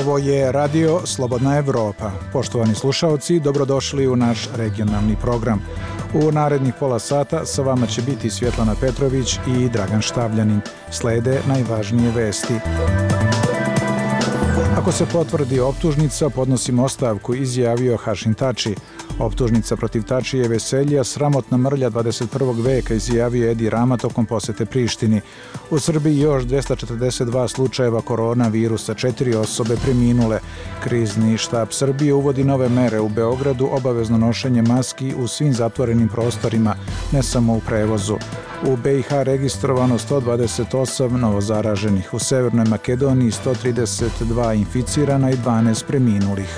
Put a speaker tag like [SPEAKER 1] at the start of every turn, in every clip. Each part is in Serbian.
[SPEAKER 1] Ovo je Radio Slobodna Evropa. Poštovani slušaoci, dobrodošli u naš regionalni program. U narednih pola sata sa vama će biti Svjetlana Petrović i Dragan Štavljanin. Slede najvažnije vesti. Ako se potvrdi optužnica, podnosimo ostavku, izjavio Hašin Tači. Optužnica protiv Tačije Veselja, sramotna mrlja 21. veka, izjavio Edi Rama tokom posete Prištini. U Srbiji još 242 slučajeva koronavirusa, 4 osobe preminule. Krizni štab Srbije uvodi nove mere u Beogradu, obavezno nošenje maski u svim zatvorenim prostorima, ne samo u prevozu. U BiH registrovano 128 novozaraženih, u Severnoj Makedoniji 132 inficirana i 12 preminulih.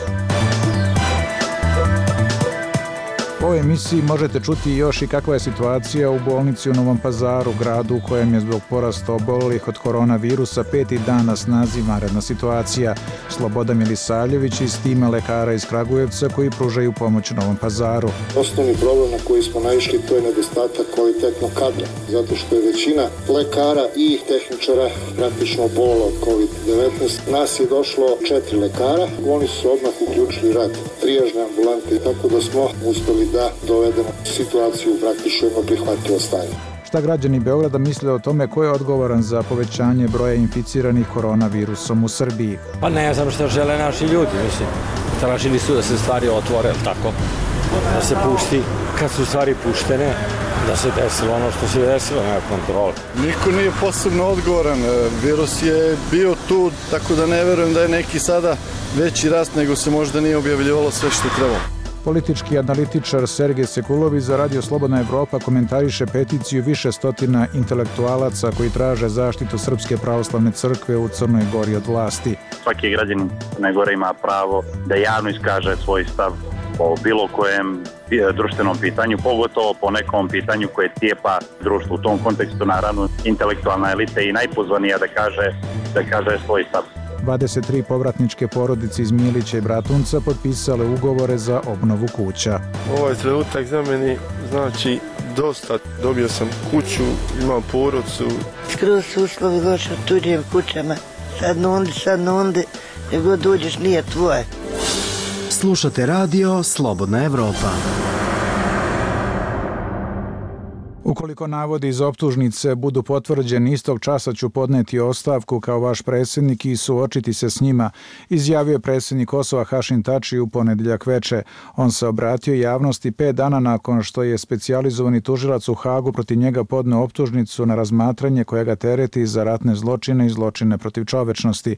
[SPEAKER 1] U ovoj emisiji možete čuti još i kakva je situacija u bolnici u Novom Pazaru, gradu u kojem je zbog porasta obolelih od koronavirusa 5. dan na snazi vanredna situacija. Slobodan Milisavljević iz tima lekara iz Kragujevca koji pružaju pomoć Novom Pazaru.
[SPEAKER 2] Osnovni problem na koji smo naišli to je nedostatak kvalitetnog kadra, zato što je većina lekara i tehničara praktično obolila od COVID-19. Nas je došlo 4 lekara, oni su odmah uključili rad trijažne ambulante, tako da smo uspeli da dovedemo situaciju u praktično jedno prihvatljivo stanje.
[SPEAKER 1] Šta građani Beograda misle o tome ko je odgovoran za povećanje broja inficiranih koronavirusom u Srbiji?
[SPEAKER 3] Pa ne znam šta žele naši ljudi, mislim. Tražili su da se stvari otvore, tako? Da se pusti, kad su stvari puštene, da se desilo ono što se desilo, nema kontrole.
[SPEAKER 4] Niko nije posebno odgovoran, virus je bio tu, tako da ne verujem da je neki sada veći rast nego se možda nije objavljivalo sve što trebalo.
[SPEAKER 1] Politički analitičar Sergej Sekulović za Radio Slobodna Evropa komentariše peticiju više stotina intelektualaca koji traže zaštitu Srpske pravoslavne crkve u Crnoj Gori od vlasti.
[SPEAKER 5] Svaki građanin Crne Gore ima pravo da javno iskaže svoj stav o bilo kojem društvenom pitanju, pogotovo po nekom pitanju koje cijepa društvo. U tom kontekstu, naravno, intelektualna elita je i najpozvanija da kaže svoj stav.
[SPEAKER 1] 23 povratničke porodice iz Milića i Bratunca potpisale ugovore za obnovu kuća.
[SPEAKER 6] Ovaj trenutak za meni znači dosta. Dobio sam kuću, imam porodcu.
[SPEAKER 7] Skroz su uslovi loše u tuđim kućama. Sad nundi, gdje god dođeš nije tvoje.
[SPEAKER 8] Slušate Radio Slobodna Evropa.
[SPEAKER 1] Ukoliko navodi iz optužnice budu potvrđeni, istog časa ću podneti ostavku kao vaš predsjednik i suočiti se s njima, izjavio predsjednik Kosova Hašin Tači u ponedjeljak veče. On se obratio javnosti 5 dana nakon što je specijalizovani tužilac u Hagu protiv njega podneo optužnicu na razmatranje koja ga tereti za ratne zločine i zločine protiv čovečnosti.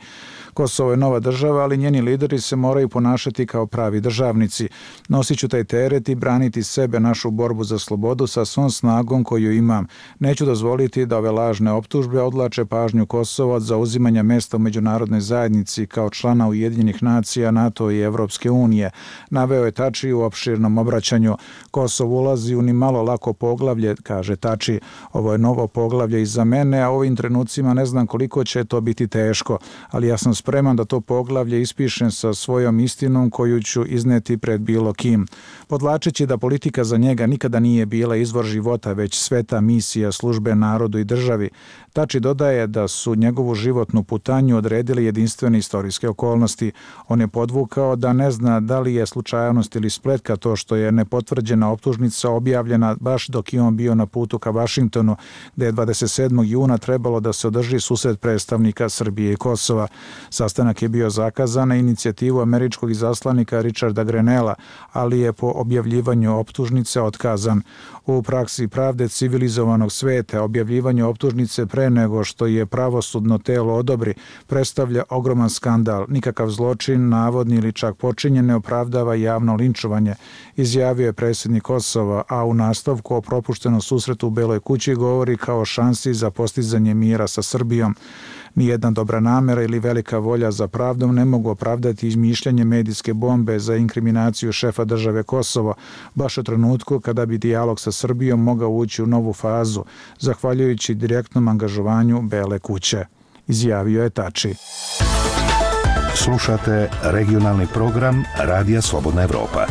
[SPEAKER 1] Kosovo je nova država, ali njeni lideri se moraju ponašati kao pravi državnici. Nosit ću taj teret i braniti sebe, našu borbu za slobodu sa svom snagom koju imam. Neću dozvoliti da ove lažne optužbe odlače pažnju Kosova od zauzimanja mesta u međunarodnoj zajednici kao člana Ujedinjenih nacija, NATO i Evropske unije. Naveo je Tači u opširnom obraćanju. Kosovo ulazi u ni malo lako poglavlje, kaže Tači. Ovo je novo poglavlje i za mene, a u ovim trenucima ne znam koliko će to biti teško, ali ja sam spreman da to poglavlje ispišem sa svojom istinom koju ću izneti pred bilo kim. Podlačeći da politika za njega nikada nije bila izvor života, već sveta misija službe narodu i državi. Tači dodaje da su njegovu životnu putanju odredili jedinstvene istorijske okolnosti. On je podvukao da ne zna da li je slučajnost ili spletka to što je nepotvrđena optužnica objavljena baš dok je on bio na putu ka Vašingtonu, gde je 27. juna trebalo da se održi susret predstavnika Srbije i Kosova. Sastanak je bio zakazan na inicijativu američkog izaslanika Richarda Grenella, ali je po objavljivanju optužnice otkazan. U praksi pravde civilizovanog sveta objavljivanje optužnice pre nego što je pravosudno telo odobri predstavlja ogroman skandal. Nikakav zločin, navodni ili čak počinjen, ne opravdava javno linčovanje, izjavio je predsjednik Kosova, a u nastavku o propuštenom susretu u Beloj kući govori kao šansi za postizanje mira sa Srbijom. Nijedna dobra namera ili velika volja za pravdom ne mogu opravdati izmišljanje medijske bombe za inkriminaciju šefa države Kosovo, baš u trenutku kada bi dijalog sa Srbijom mogao ući u novu fazu, zahvaljujući direktnom angažovanju Bele kuće, izjavio je Tači.
[SPEAKER 8] Slušate regionalni program Radija Slobodna Evropa.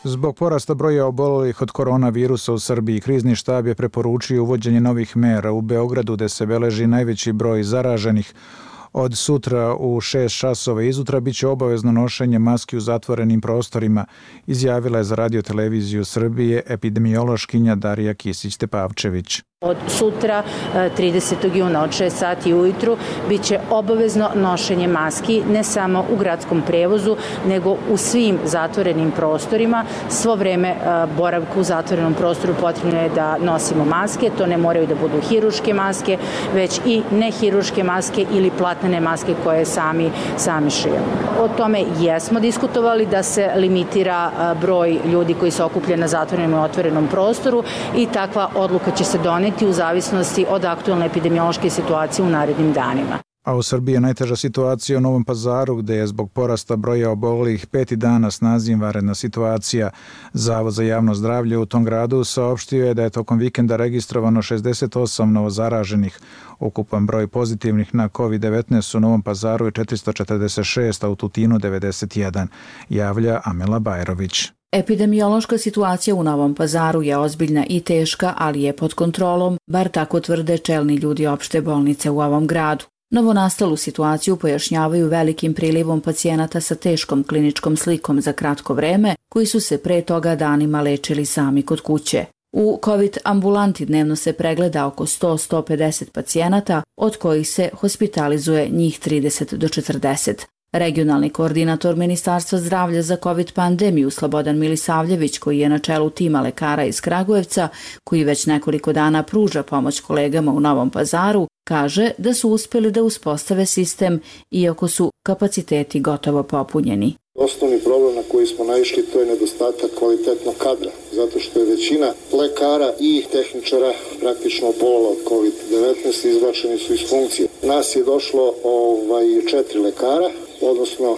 [SPEAKER 1] Zbog porasta broja obolelih od koronavirusa u Srbiji, krizni štab je preporučio uvođenje novih mera u Beogradu, gde se beleži najveći broj zaraženih. Od sutra u 6 časova izutra biće obavezno nošenje maski u zatvorenim prostorima, izjavila je za Radio televiziju Srbije epidemiološkinja Darija Kisić-Tepavčević.
[SPEAKER 9] Od sutra, 30. juna od 6 sati ujutru, bit će obavezno nošenje maski ne samo u gradskom prevozu, nego u svim zatvorenim prostorima. Svo vreme boravka u zatvorenom prostoru potrebno je da nosimo maske. To ne moraju da budu hiruške maske, već i nehiruške maske ili platnene maske koje sami šijemo. O tome jesmo diskutovali da se limitira broj ljudi koji se okuplja na zatvorenom i otvorenom prostoru i takva odluka će se doneti u zavisnosti od aktualne epidemiološke situacije u narednim danima.
[SPEAKER 1] A u Srbiji je najteža situacija u Novom Pazaru, gde je zbog porasta broja obolelih 5. dan na snazi vanredna situacija. Zavod za javno zdravlje u tom gradu saopštio je da je tokom vikenda registrovano 68 novozaraženih. Ukupan broj pozitivnih na COVID-19 u Novom Pazaru je 446, a u Tutinu 91, javlja Amela Bajrović.
[SPEAKER 10] Epidemiološka situacija u Novom Pazaru je ozbiljna i teška, ali je pod kontrolom, bar tako tvrde čelni ljudi opšte bolnice u ovom gradu. Novonastalu situaciju pojašnjavaju velikim prilivom pacijenata sa teškom kliničkom slikom za kratko vreme, koji su se pre toga danima lečili sami kod kuće. U COVID ambulanti dnevno se pregleda oko 100-150 pacijenata, od kojih se hospitalizuje njih 30 do 40. Regionalni koordinator Ministarstva zdravlja za COVID pandemiju Slobodan Milisavljević, koji je na čelu tima lekara iz Kragujevca, koji već nekoliko dana pruža pomoć kolegama u Novom Pazaru, kaže da su uspjeli da uspostave sistem iako su kapaciteti gotovo popunjeni.
[SPEAKER 2] Osnovni problem na koji smo naišli to je nedostatak kvalitetnog kadra, zato što je većina lekara i tehničara praktično obolala od COVID-19 i izbačeni su iz funkcije. Nas je došlo 4 lekara, odnosno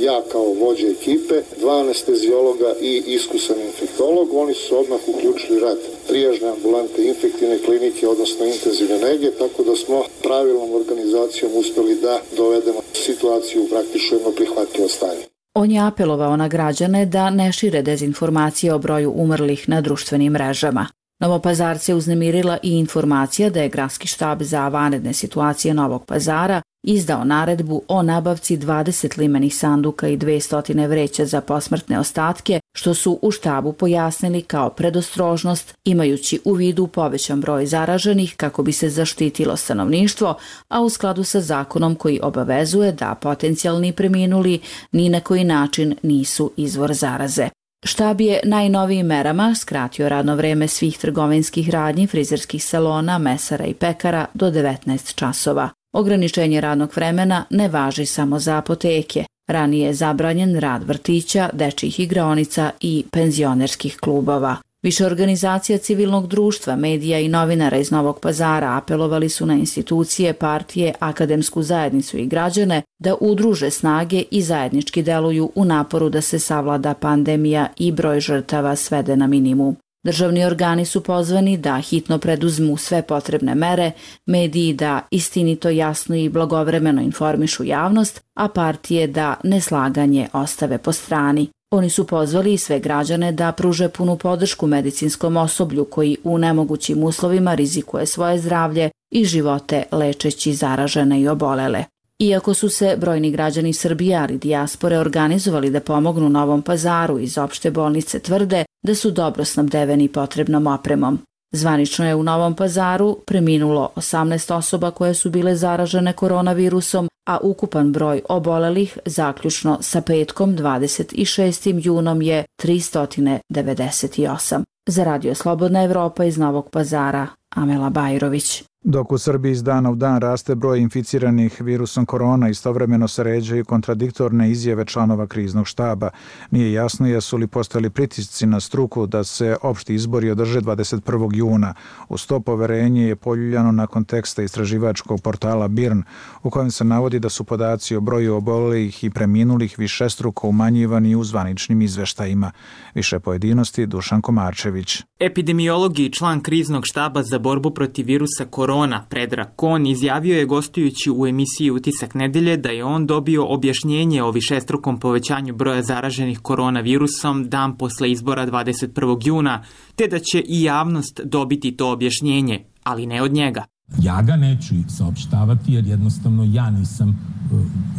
[SPEAKER 2] ja kao vođa ekipe, 2 anestezijologa i iskusan infektolog. Oni su odmah uključili rad trijažne ambulante, infektivne klinike, odnosno intenzivne nege, tako da smo pravilnom organizacijom uspjeli da dovedemo situaciju u praktično jedno prihvatljivo stanje.
[SPEAKER 10] On je apelovao na građane da ne šire dezinformacije o broju umrlih na društvenim mrežama. Novopazarce uznemirila i informacija da je Gradski štab za vanredne situacije Novog Pazara izdao naredbu o nabavci 20 limenih sanduka i 200 vreća za posmrtne ostatke, što su u štabu pojasnili kao predostrožnost, imajući u vidu povećan broj zaraženih kako bi se zaštitilo stanovništvo, a u skladu sa zakonom koji obavezuje da potencijalni preminuli ni na koji način nisu izvor zaraze. Štab je najnovijim merama skratio radno vreme svih trgovinskih radnji, frizerskih salona, mesara i pekara do 19 časova. Ograničenje radnog vremena ne važi samo za apoteke. Ranije je zabranjen rad vrtića, dečjih igraonica i penzionerskih klubova. Više organizacija civilnog društva, medija i novinara iz Novog Pazara apelovali su na institucije, partije, akademsku zajednicu i građane da udruže snage i zajednički deluju u naporu da se savlada pandemija i broj žrtava svede na minimum. Državni organi su pozvani da hitno preduzmu sve potrebne mere, mediji da istinito, jasno i blagovremeno informišu javnost, a partije da neslaganje ostave po strani. Oni su pozvali i sve građane da pruže punu podršku medicinskom osoblju koji u nemogućim uslovima rizikuje svoje zdravlje i živote lečeći zaražene i obolele. Iako su se brojni građani Srbije, ali dijaspore organizovali da pomognu Novom Pazaru, iz opšte bolnice tvrde da su dobro snabdeveni potrebnom opremom. Zvanično je u Novom Pazaru preminulo 18 osoba koje su bile zaražene koronavirusom, a ukupan broj obolelih zaključno sa petkom 26. junom je 398. Za Radio Slobodna Evropa iz Novog Pazara, Amela Bajrović.
[SPEAKER 1] Dok u Srbiji iz dana u dan raste broj inficiranih virusom korona, istovremeno se ređaju kontradiktorne izjave članova kriznog štaba. Nije jasno jesu li postojali pritisci na struku da se opšti izbori održe 21. juna. Uz to poverenje je poljuljano nakon teksta istraživačkog portala BIRN, u kojem se navodi da su podaci o broju obolelih i preminulih višestruko umanjivani u zvaničnim izveštajima. Više pojedinosti Dušan Komarčević.
[SPEAKER 11] Epidemiolog i član kriznog štaba za borbu protiv virusa korona, Predrag Kon, izjavio je gostujući u emisiji Utisak nedelje da je on dobio objašnjenje o višestrukom povećanju broja zaraženih koronavirusom dan posle izbora 21. juna, te da će i javnost dobiti to objašnjenje, ali ne od njega.
[SPEAKER 12] Ja ga neću saopštavati jer jednostavno ja nisam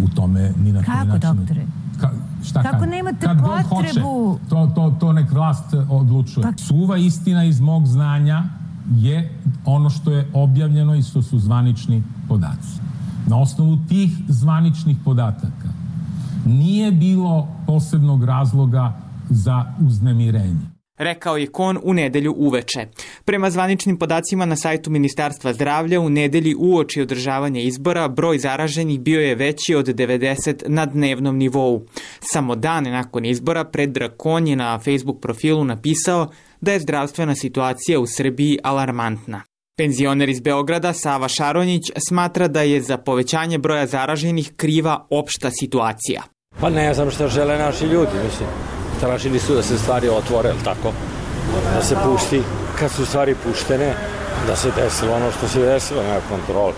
[SPEAKER 12] u tome ni na koji način.
[SPEAKER 13] Kako, doktore? Kako nemate potrebu?
[SPEAKER 12] To nek vlast odlučuje. Suva istina iz mog znanja je ono što je objavljeno i što su zvanični podaci. Na osnovu tih zvaničnih podataka nije bilo posebnog razloga za uznemirenje.
[SPEAKER 11] Rekao je Kon u nedelju uveče. Prema zvaničnim podacima na sajtu Ministarstva zdravlja, u nedelji uoči održavanja izbora broj zaraženih bio je veći od 90 na dnevnom nivou. Samo dan nakon izbora Predrag Kon je na Facebook profilu napisao da je zdravstvena situacija u Srbiji alarmantna. Penzioner iz Beograda Sava Šaronjić smatra da je za povećanje broja zaraženih kriva opšta situacija.
[SPEAKER 3] Pa ne znam šta žele naši ljudi, mislim. Tražili su da se stvari otvore, ali tako? Da se pusti, kad su stvari puštene, da se desilo ono što se desilo, nema kontrole.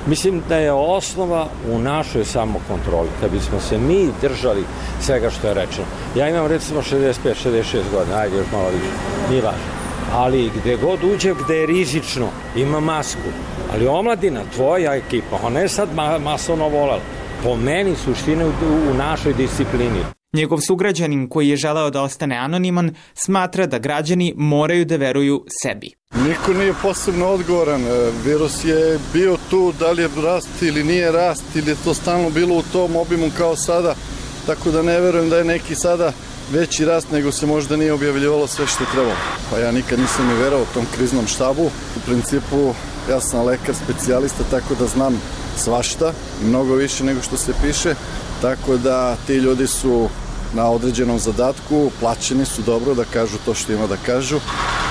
[SPEAKER 3] Mislim da je osnova u našoj samokontroli, kad bismo se mi držali svega što je rečeno. Ja imam recimo 65-66 godina, ajde još malo više, nije važno. Ali gde god uđe, gde je rizično, ima masku. Ali omladina, tvoja ekipa, ona je sad masovno volala. Po meni suštine u našoj disciplini.
[SPEAKER 11] Njegov sugrađanin koji je želeo da ostane anoniman smatra da građani moraju da veruju sebi.
[SPEAKER 4] Niko nije posebno odgovoran. Virus je bio tu, da li je rast ili nije rast, ili je to stalno bilo u tom obimu kao sada, tako da ne verujem da je neki sada veći rast nego se možda nije objavljivalo sve što je trebalo. Pa ja nikad nisam ni verao tom kriznom štabu. U principu ja sam lekar specijalista, tako da znam svašta, mnogo više nego što se piše. Tako da ti ljudi su na određenom zadatku, plaćeni su dobro da kažu to što ima da kažu,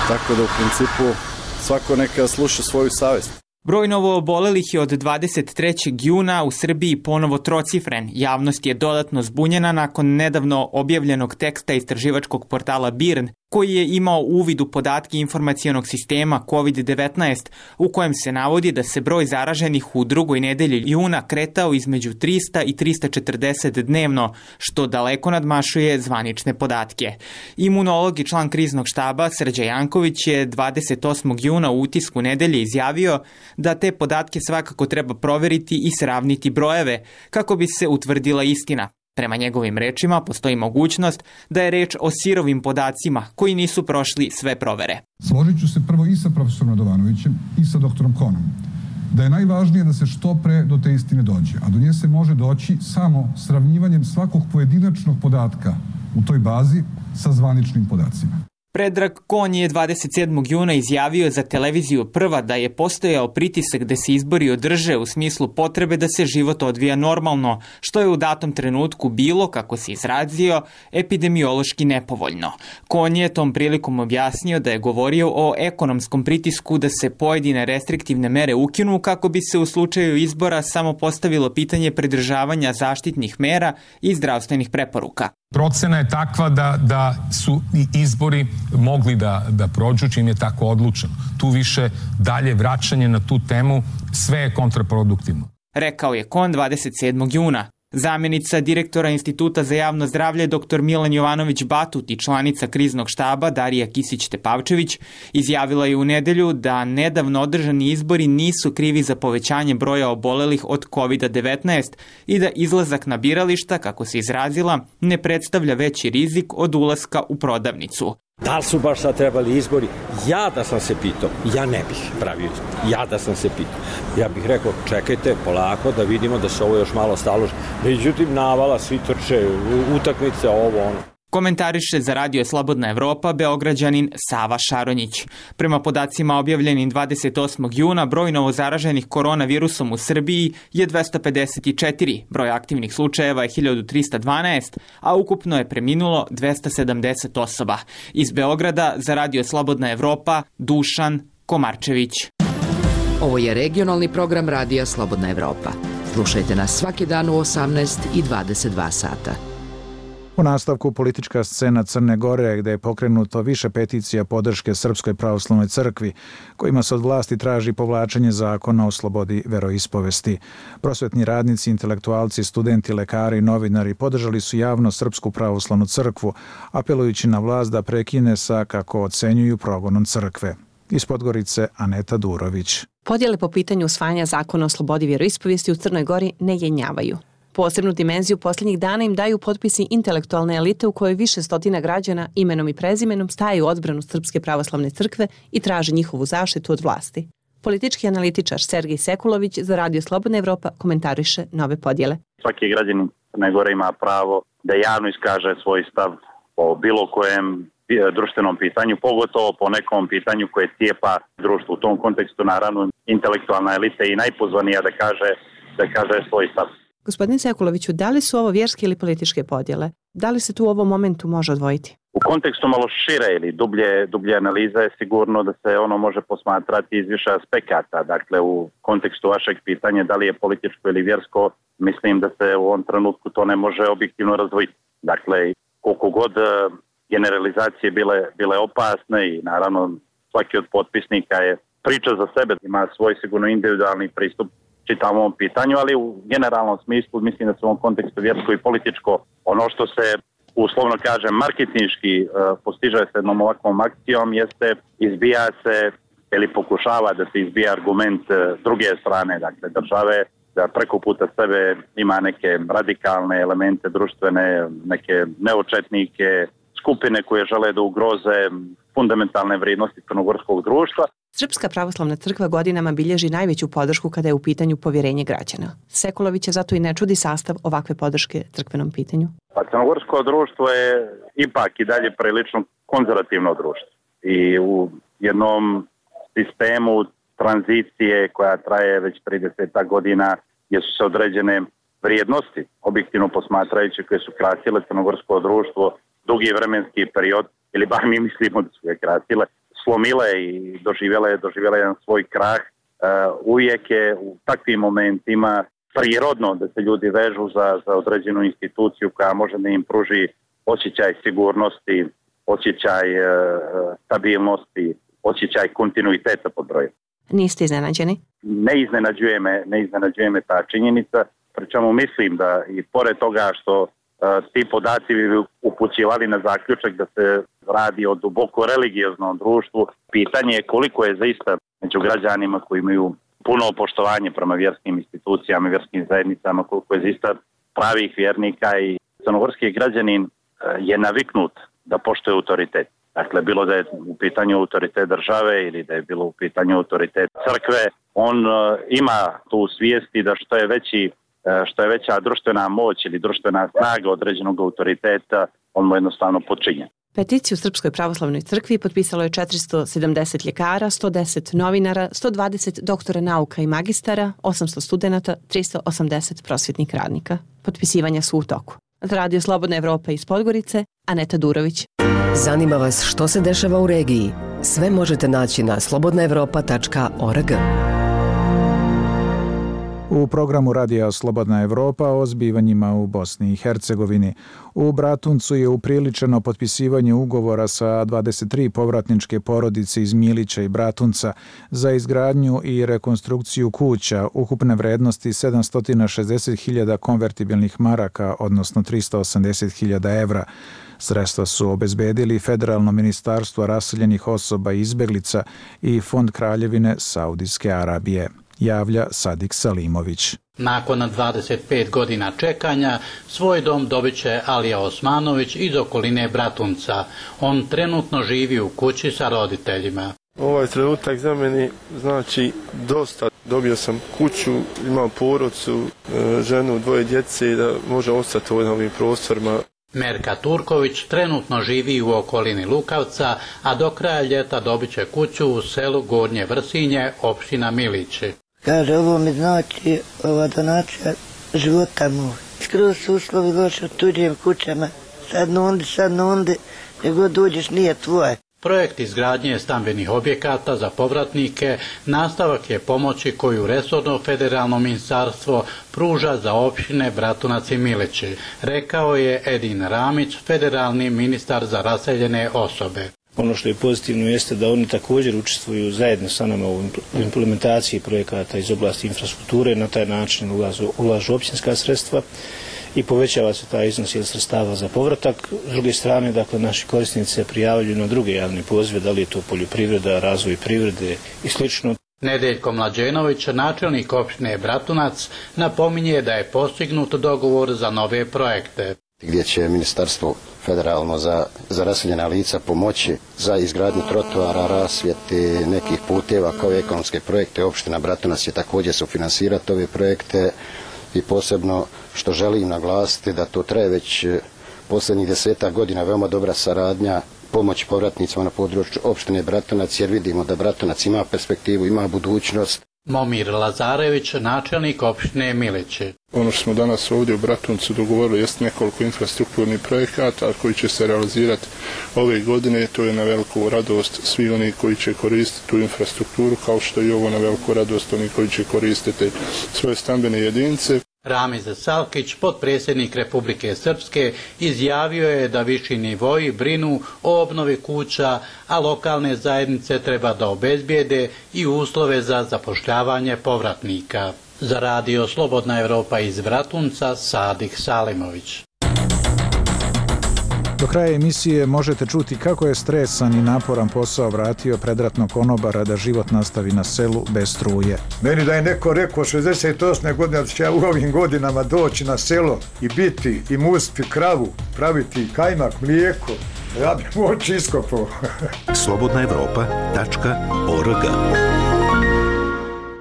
[SPEAKER 4] tako da u principu svako neka sluša svoju savest.
[SPEAKER 11] Broj novoobolelih je od 23. juna u Srbiji ponovo trocifren. Javnost je dodatno zbunjena nakon nedavno objavljenog teksta istraživačkog portala BIRN, koji je imao uvid u podatke informacionog sistema COVID-19, u kojem se navodi da se broj zaraženih u drugoj nedelji juna kretao između 300 i 340 dnevno, što daleko nadmašuje zvanične podatke. Imunolog i član kriznog štaba Srđan Janković je 28. juna u utisku nedelje izjavio da te podatke svakako treba proveriti i sravniti brojeve kako bi se utvrdila istina. Prema njegovim rečima postoji mogućnost da je reč o sirovim podacima koji nisu prošli sve provere.
[SPEAKER 14] Složit ću se prvo i sa profesorom Radovanovićem i sa doktorom Konom, da je najvažnije da se što pre do te istine dođe, a do nje se može doći samo sravnjivanjem svakog pojedinačnog podatka u toj bazi sa zvaničnim podacima.
[SPEAKER 11] Predrag Kon je 27. juna izjavio za televiziju Prva da je postojao pritisak da se izbori održe u smislu potrebe da se život odvija normalno, što je u datom trenutku bilo, kako se izrazio, epidemiološki nepovoljno. Kon je tom prilikom objasnio da je govorio o ekonomskom pritisku da se pojedine restriktivne mere ukinu kako bi se u slučaju izbora samo postavilo pitanje pridržavanja zaštitnih mera i zdravstvenih preporuka.
[SPEAKER 12] Procena je takva da su i izbori mogli da prođu čim je tako odlučeno. Tu više dalje vraćanje na tu temu, sve je kontraproduktivno.
[SPEAKER 11] Rekao je Kon 27. juna. Zamjenica direktora Instituta za javno zdravlje dr. Milan Jovanović Batut i članica kriznog štaba Darija Kisić-Tepavčević izjavila je u nedelju da nedavno održani izbori nisu krivi za povećanje broja obolelih od COVID-19 i da izlazak na birališta, kako se izrazila, ne predstavlja veći rizik od ulaska u prodavnicu.
[SPEAKER 3] Da li su baš sad trebali izbori? Ja da sam se pitao, ja ne bih pravio izbor. Ja da sam se pitao. Ja bih rekao, čekajte polako da vidimo da se ovo još malo staloži. Međutim, navala, svi trče, utakmice, ovo, ono.
[SPEAKER 11] Komentariše za Radio Slobodna Evropa Beograđanin Sava Šaronjić. Prema podacima objavljenim 28. juna, broj novozaraženih koronavirusom u Srbiji je 254, broj aktivnih slučajeva je 1312, a ukupno je preminulo 270 osoba. Iz Beograda za Radio Slobodna Evropa Dušan Komarčević.
[SPEAKER 15] Ovo je regionalni program Radija Slobodna Evropa. Slušajte nas svaki dan u 18 i 22 sata.
[SPEAKER 1] U nastavku politička scena Crne Gore, gde je pokrenuto više peticija podrške Srpskoj pravoslavnoj crkvi, kojima se od vlasti traži povlačenje zakona o slobodi veroispovesti. Prosvetni radnici, intelektualci, studenti, lekari i novinari podržali su javno Srpsku pravoslavnu crkvu, apelujući na vlast da prekine sa, kako ocenjuju, progonom crkve. Iz Podgorice Aneta Durović.
[SPEAKER 16] Podjele po pitanju usvajanja zakona o slobodi vjeroispovijesti u Crnoj Gori ne jenjavaju. Posebnu dimenziju posljednjih dana im daju potpisi intelektualne elite u kojoj više stotina građana imenom i prezimenom staje u odbranu Srpske pravoslavne crkve i traže njihovu zaštitu od vlasti. Politički analitičar Sergej Sekulović za Radio Slobodna Evropa komentariše nove podjele.
[SPEAKER 5] Svaki građanin Crne Gore ima pravo da javno iskaže svoj stav o bilo kojem društvenom pitanju, pogotovo po nekom pitanju koje cijepa društvo. U tom kontekstu naravno intelektualna elita je i najpozvanija da kaže svoj stav.
[SPEAKER 16] Gospodine Sekuloviću, da li su ovo vjerske ili političke podjele? Da li se tu u ovom momentu može odvojiti?
[SPEAKER 5] U kontekstu malo šire ili dublje analize je sigurno da se ono može posmatrati iz više aspekata. Dakle, u kontekstu vašeg pitanja da li je političko ili vjersko, mislim da se u ovom trenutku to ne može objektivno razdvojiti. Dakle, koliko god generalizacije bile opasne i naravno svaki od potpisnika je priča za sebe, ima svoj sigurno individualni pristup čitavom ovom pitanju, ali u generalnom smislu mislim da se u ovom kontekstu vjersko i političko ono što se uslovno kažem marketinški postiže se jednom ovakvom akcijom jeste izbija se ili pokušava da se izbija argument druge strane, dakle države, da preko puta sebe ima neke radikalne elemente društvene, neke neočetnike, skupine koje žele da ugroze fundamentalne vrijednosti crnogorskog društva.
[SPEAKER 16] Srpska pravoslavna crkva godinama bilježi najveću podršku kada je u pitanju povjerenje građana. Sekulović je zato i ne čudi sastav ovakve podrške crkvenom pitanju.
[SPEAKER 5] Pa crnogorsko društvo je ipak i dalje prilično konzervativno društvo. I u jednom sistemu tranzicije koja traje već 30 godina gdje su se određene vrijednosti, objektivno posmatrajući, koje su krasile crnogorsko društvo dugi vremenski period, ili bar mi mislimo da su ga krasile, slomile i doživjele jedan svoj krah. Uvijek je u takvim momentima prirodno da se ljudi vežu za određenu instituciju koja može da im pruži osjećaj sigurnosti, osjećaj stabilnosti, osjećaj kontinuiteta pod brojem.
[SPEAKER 16] Niste iznenađeni?
[SPEAKER 5] Ne iznenađuje me ta činjenica, pričemu mislim da i pored toga što ti podaci bi upućivali na zaključak da se radi o duboko religioznom društvu. Pitanje je koliko je zaista među građanima koji imaju puno poštovanje prema vjerskim institucijama i vjerskim zajednicama, koliko je zaista pravih vjernika i crnogorski građanin je naviknut da poštuje autoritet. Dakle, bilo da je u pitanju autoritet države ili da je bilo u pitanju autoritet crkve, on ima tu svijesti da što je veća društvena moć ili društvena snaga određenog autoriteta, on mu jednostavno počinje.
[SPEAKER 16] Peticiju Srpskoj pravoslavnoj crkvi potpisalo je 470 ljekara, 110 novinara, 120 doktora nauka i magistara, 800 studenata, 380 prosvjetnih radnika. Potpisivanja su u toku. Za Radio Slobodna Evropa iz Podgorice, Aneta Durović.
[SPEAKER 17] Zanima vas što se dešava u regiji? Sve možete naći na slobodnaevropa.org.
[SPEAKER 1] U programu Radija Slobodna Evropa o zbivanjima u Bosni i Hercegovini. U Bratuncu je upriličeno potpisivanje ugovora sa 23 povratničke porodice iz Milića i Bratunca za izgradnju i rekonstrukciju kuća ukupne vrednosti 760.000 konvertibilnih maraka, odnosno 380.000 evra. Sredstva su obezbedili Federalno ministarstvo raseljenih osoba i izbeglica i Fond Kraljevine Saudijske Arabije. Javlja Sadik Salimović.
[SPEAKER 18] Nakon 25 godina čekanja, svoj dom dobit će Alija Osmanović iz okoline Bratunca. On trenutno živi u kući sa roditeljima.
[SPEAKER 6] Ovaj trenutak za meni znači dosta. Dobio sam kuću, imam porodcu, ženu, 2 djece i da može ostati u ovim prostorima.
[SPEAKER 18] Merka Turković trenutno živi u okolini Lukavca, a do kraja ljeta dobit će kuću u selu Gornje Vrsinje, opština Milići.
[SPEAKER 7] Kaže, ovo mi znači ova donacija života moj. Skroz su uslovi loše u tuđim kućama. Sad nundi, nego dođeš nije tvoje.
[SPEAKER 18] Projekt izgradnje stambenih objekata za povratnike nastavak je pomoći koju resorno federalno ministarstvo pruža za opštine Bratunac i Milići, rekao je Edin Ramić, federalni ministar za raseljene osobe.
[SPEAKER 19] Ono što je pozitivno jeste da oni također učestvuju zajedno sa nama u implementaciji projekata iz oblasti infrastrukture, na taj način ulažu općinska sredstva i povećava se taj iznos ili sredstava za povratak. S druge strane, dakle, naši korisnici se prijavljuju na druge javne pozive, da li je to poljoprivreda, razvoj privrede i slično.
[SPEAKER 18] Nedeljko Mlađenović, načelnik opštine Bratunac, napominje da je postignut dogovor za nove projekte.
[SPEAKER 20] Gdje će ministarstvo federalno za raseljena lica pomoći za izgradnju trotoara, rasvjete, nekih puteva kao i ekonomske projekte. Opština Bratunac će također sufinansirati ove projekte i posebno što želim naglasiti da to traje već posljednjih 10 godina veoma dobra saradnja pomoći povratnicima na području opštine Bratunac, jer vidimo da Bratunac ima perspektivu, ima budućnost.
[SPEAKER 18] Momir Lazarević, načelnik opštine Milići.
[SPEAKER 6] Ono što smo danas ovdje u Bratuncu dogovorili jest nekoliko infrastrukturnih projekata koji će se realizirati ove godine. To je na veliku radost svi oni koji će koristiti tu infrastrukturu, kao što i ovo na veliku radost oni koji će koristiti svoje stambene jedinice.
[SPEAKER 18] Ramiz Salkić, potpredsjednik Republike Srpske, izjavio je da viši nivoji brinu o obnovi kuća, a lokalne zajednice treba da obezbijede i uslove za zapošljavanje povratnika. Za radio Slobodna Evropa iz Bratunca, Sadik Salimović.
[SPEAKER 1] Do kraja emisije možete čuti kako je stresan i naporan posao vratio predratnog konobara da život nastavi na selu bez struje.
[SPEAKER 21] Meni da je neko rekao 68. godine da će ja u ovim godinama doći na selo i biti i mustiti kravu, praviti kajmak, mlijeko, ja bih moći iskopao.
[SPEAKER 8] slobodnaevropa.org.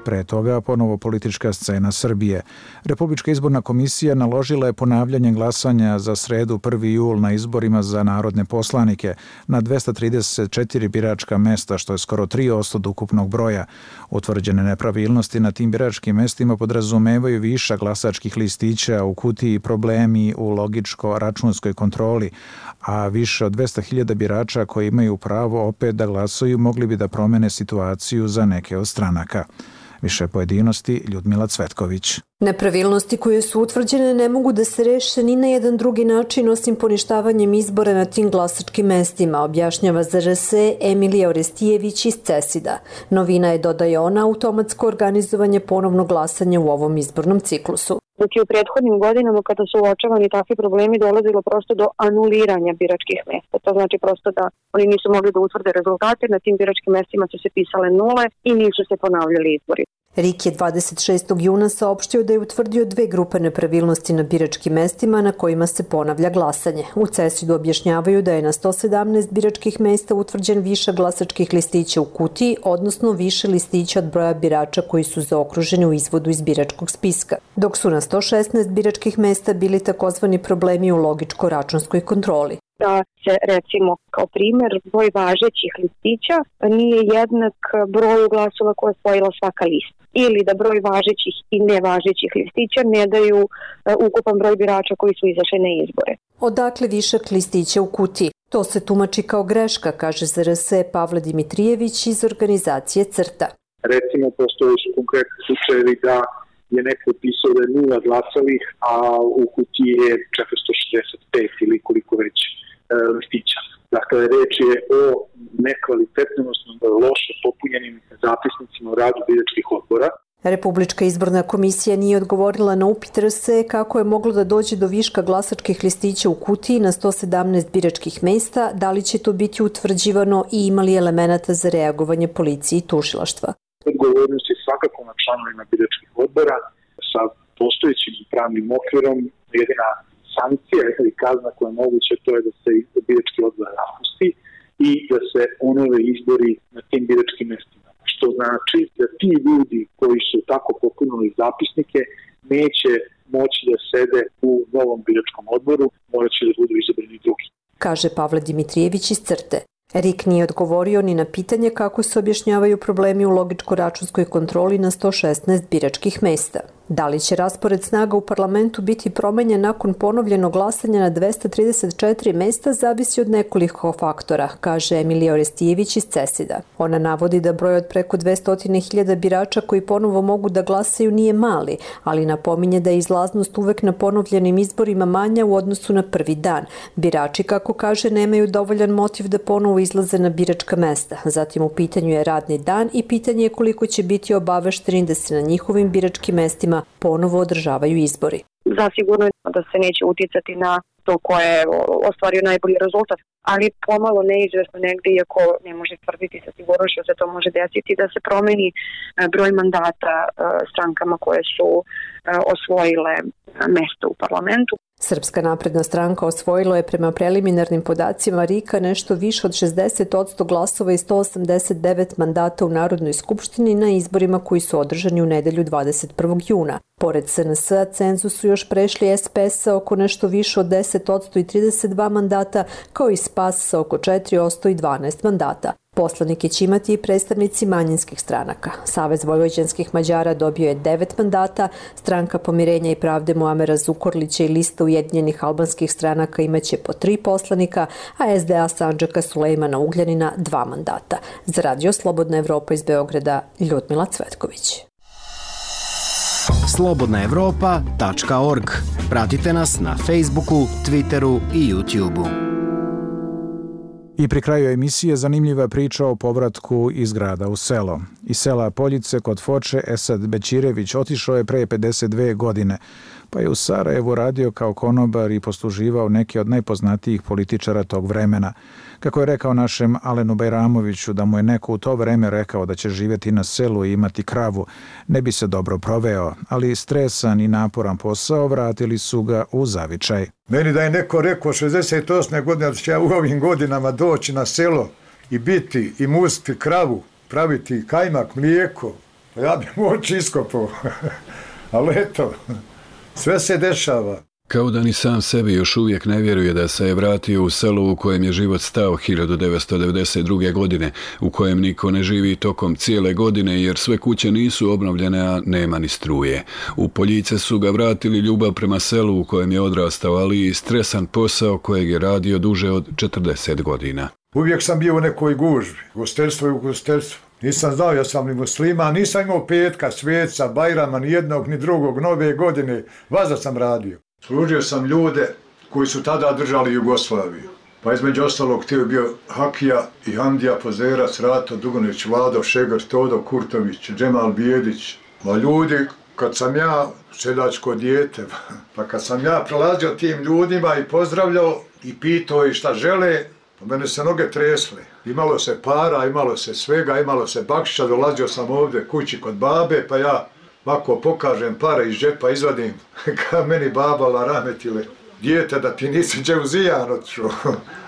[SPEAKER 1] Pre toga ponovo politička scena Srbije. Republička izborna komisija naložila je ponavljanje glasanja za sredu 1. jul na izborima za narodne poslanike na 234 biračka mesta, što je skoro 3% od ukupnog broja. Utvrđene nepravilnosti na tim biračkim mestima podrazumevaju višak glasačkih listića u kutiji i problemi u logičko-računskoj kontroli, a više od 200.000 birača koji imaju pravo opet da glasaju mogli bi da promene situaciju za neke od stranaka. Više pojedinosti Ljudmila Cvetković.
[SPEAKER 22] Nepravilnosti koje su utvrđene ne mogu da se reše ni na jedan drugi način osim poništavanjem izbora na tim glasačkim mestima, objašnjava za RS Emilija Orestijević iz CESID-a. Novina je, dodaje ona, automatsko organizovanje ponovnog glasanja u ovom izbornom ciklusu.
[SPEAKER 23] Dok je u prethodnim godinama kada su uočavani takvi problemi dolazilo prosto do anuliranja biračkih mesta. To znači prosto da oni nisu mogli da utvrde rezultate, na tim biračkim mestima su se pisale nule i nisu se ponavljali izbori.
[SPEAKER 22] RIK je 26. juna saopštio da je utvrdio 2 grupe nepravilnosti na biračkim mestima na kojima se ponavlja glasanje. U CESID-u objašnjavaju da je na 117 biračkih mesta utvrđen višak glasačkih listića u kutiji, odnosno više listića od broja birača koji su zaokruženi u izvodu iz biračkog spiska, dok su na 116 biračkih mesta bili takozvani problemi u logičko-računskoj kontroli.
[SPEAKER 23] Da se, recimo, kao primjer, broj važećih listića nije jednak broju glasova koje je osvojila svaka lista. Ili da broj važećih i nevažećih listića ne daju ukupan broj birača koji su izašli na izbore.
[SPEAKER 22] Odakle višak listića u kutiji? To se tumači kao greška, kaže za RS Pavle Dimitrijević iz organizacije CRTA.
[SPEAKER 24] Recimo, postoje su konkretni slučajevi da je neko upisao da je 0 glasalih, a u kutiji je 465 ili koliko već listića. Dakle, reč je o nekvalitetnom, odnosno loše popunjenim zapisnicima u radu biračkih odbora.
[SPEAKER 22] Republička izborna komisija nije odgovorila na upit RS kako je moglo da dođe do viška glasačkih listića u kutiji na 117 biračkih mesta, da li će to biti utvrđivano i imali elemenata za reagovanje policije i tužilaštva.
[SPEAKER 24] Odgovornost je svakako na članovima biračkih odbora sa postojećim pravnim okvirom. Jedina sankcija ili kazna koja je moguća, to je da se birački odbor raspusti i da se onove izbori na tim biračkim mestima. Što znači da ti ljudi koji su tako popunili zapisnike neće moći da sede u novom biračkom odboru, morat će da budu izabrani drugi.
[SPEAKER 22] Kaže Pavle Dimitrijević iz CRTE. RIK nije odgovorio ni na pitanje kako se objašnjavaju problemi u logičko-računskoj kontroli na 116 biračkih mesta. Da li će raspored snaga u parlamentu biti promenjen nakon ponovljenog glasanja na 234 mesta zavisi od nekoliko faktora, kaže Emilija Orestijević iz CESID-a. Ona navodi da broj od preko 200.000 birača koji ponovo mogu da glasaju nije mali, ali napominje da je izlaznost uvek na ponovljenim izborima manja u odnosu na prvi dan. Birači, kako kaže, nemaju dovoljan motiv da ponovo izlaze na biračka mesta. Zatim u pitanju je radni dan i pitanje je koliko će biti obavešteni da se na njihovim biračkim mestima ponovo održavaju izbori.
[SPEAKER 23] zasigurno da se neće uticati na to ko je ostvario najbolji rezultat, ali pomalo neizvesno negdje, iako ne može tvrditi sa sigurnošću da se to može desiti, da se promeni broj mandata strankama koje su osvojile mesto u parlamentu.
[SPEAKER 22] Srpska napredna stranka osvojilo je prema preliminarnim podacima RIK-a nešto više od 60% glasova i 189 mandata u Narodnoj skupštini na izborima koji su održani u nedelju 21. juna. Pored SNS-a, cenzus su još prešli SPS sa oko nešto više od 10% i 32 mandata, kao i SPAS sa oko 4% i 12 mandata. Poslanike će imati i predstavnici manjinskih stranaka. Savez vojvođanskih Mađara dobio je 9 mandata, Stranka pomirenja i pravde Muamera Zukorlića i lista ujedinjenih albanskih stranaka imaće po 3 poslanika, a SDA Sandžaka Sulejmana Ugljanina 2 mandata. Za Radio Slobodna Evropa iz Beograda, Ljudmila Cvetković.
[SPEAKER 2] slobodnaevropa.org. Pratite nas na Facebooku, Twitteru i YouTubeu.
[SPEAKER 1] I pri kraju emisije zanimljiva priča o povratku iz grada u selo. Iz sela Poljice kod Foče Esad Bećirević otišao je pre 52 godine, pa je u Sarajevu radio kao konobar i posluživao neke od najpoznatijih političara tog vremena. Kako je rekao našem Alenu Bajramoviću da mu je neko u to vreme rekao da će živjeti na selu i imati kravu, ne bi se dobro proveo, ali stresan i naporan posao vratili su ga u zavičaj.
[SPEAKER 21] Meni da je neko rekao 68. godine da će ja u ovim godinama doći na selo i biti i mustiti kravu, praviti kajmak, mlijeko, pa ja bi mu oči iskopao. Ali eto, sve se dešava.
[SPEAKER 9] Kao da ni sam sebi još uvijek ne vjeruje da se je vratio u selo u kojem je život stao 1992. godine, u kojem niko ne živi tokom cijele godine jer sve kuće nisu obnovljene, a nema ni struje. U Poljice su ga vratili ljubav prema selu u kojem je odrastao, ali i stresan posao kojeg je radio duže od 40 godina.
[SPEAKER 21] Uvijek sam bio u nekoj gužbi, gostelstvo i ugostelstvo. Nisam znao, ja sam ni muslima, nisam imao petka, sveca, Bajrama, ni jednog ni drugog, nove godine, vaza sam radio. Služio sam ljude koji su tada držali Jugoslaviju. Pa između ostalog ti je bio Hakija i Hamdija Pozerac, Rato Dugonić, Vlado Šegar, Todo Kurtović, Džemal Bijedić. Ma ljudi, kad sam ja seljačko dijete, pa kad sam ja prelazio tim ljudima i pozdravljao i pitao i šta žele, pa mene se noge tresle. Imalo se para, imalo se svega, imalo se bakšića, dolazio sam ovdje kući kod babe, pa ja ovako pokažem pare iz džepa, izvadim, ka meni baba rahmetile, dijete da ti nisi džeuzijan odšao.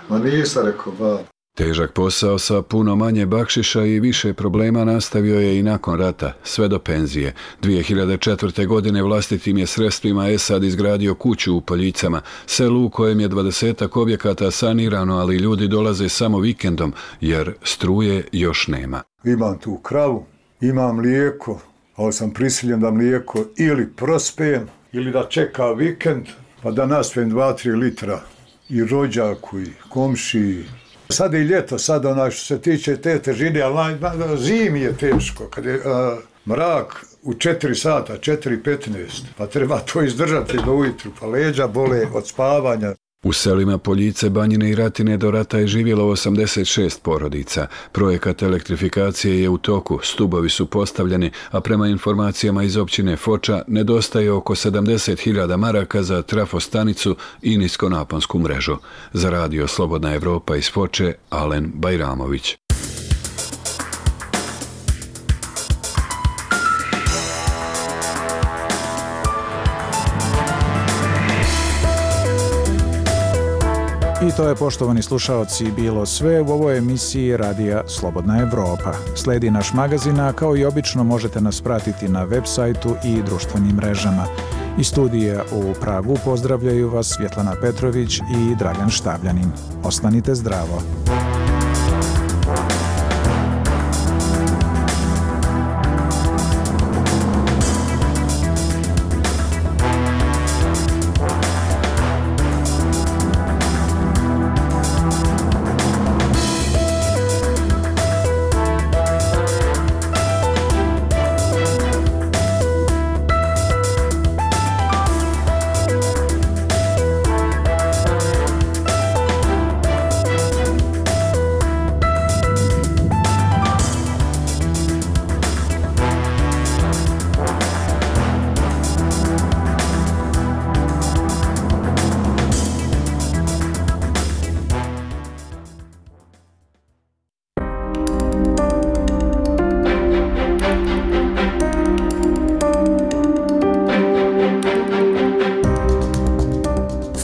[SPEAKER 21] Ma nisam, rekao baba.
[SPEAKER 9] Težak posao sa puno manje bakšiša i više problema nastavio je i nakon rata, sve do penzije. 2004. godine vlastitim je sredstvima Esad izgradio kuću u Poljicama, selu u kojem je 20 objekata sanirano, ali ljudi dolaze samo vikendom, jer struje još nema.
[SPEAKER 21] Imam tu kravu, imam mlijeko, ali sam prisiljen da mlijeko ili prospejem, ili da čeka vikend, pa da naspijem 2-3 litra i rođaku i komšiji. Sad je i ljeto, sad što se tiče te težine, ali zimi je teško, kad je mrak u 4 sata, 4:15, pa treba to izdržati do ujutru, pa leđa bole od spavanja.
[SPEAKER 9] U selima Poljice, Banjine i Ratine do rata je živjelo 86 porodica. Projekat elektrifikacije je u toku, stubovi su postavljeni, a prema informacijama iz općine Foča nedostaje oko 70.000 maraka za trafostanicu i niskonaponsku mrežu. Za Radio Slobodna Evropa iz Foče, Alen Bajramović.
[SPEAKER 1] I to je, poštovani slušaoci, bilo sve u ovoj emisiji Radija Slobodna Evropa. Sledi naš magazin, a kao i obično možete nas pratiti na web sajtu i društvenim mrežama. Iz studija u Pragu pozdravljaju vas Svjetlana Petrović i Dragan Štavljanin. Ostanite zdravo.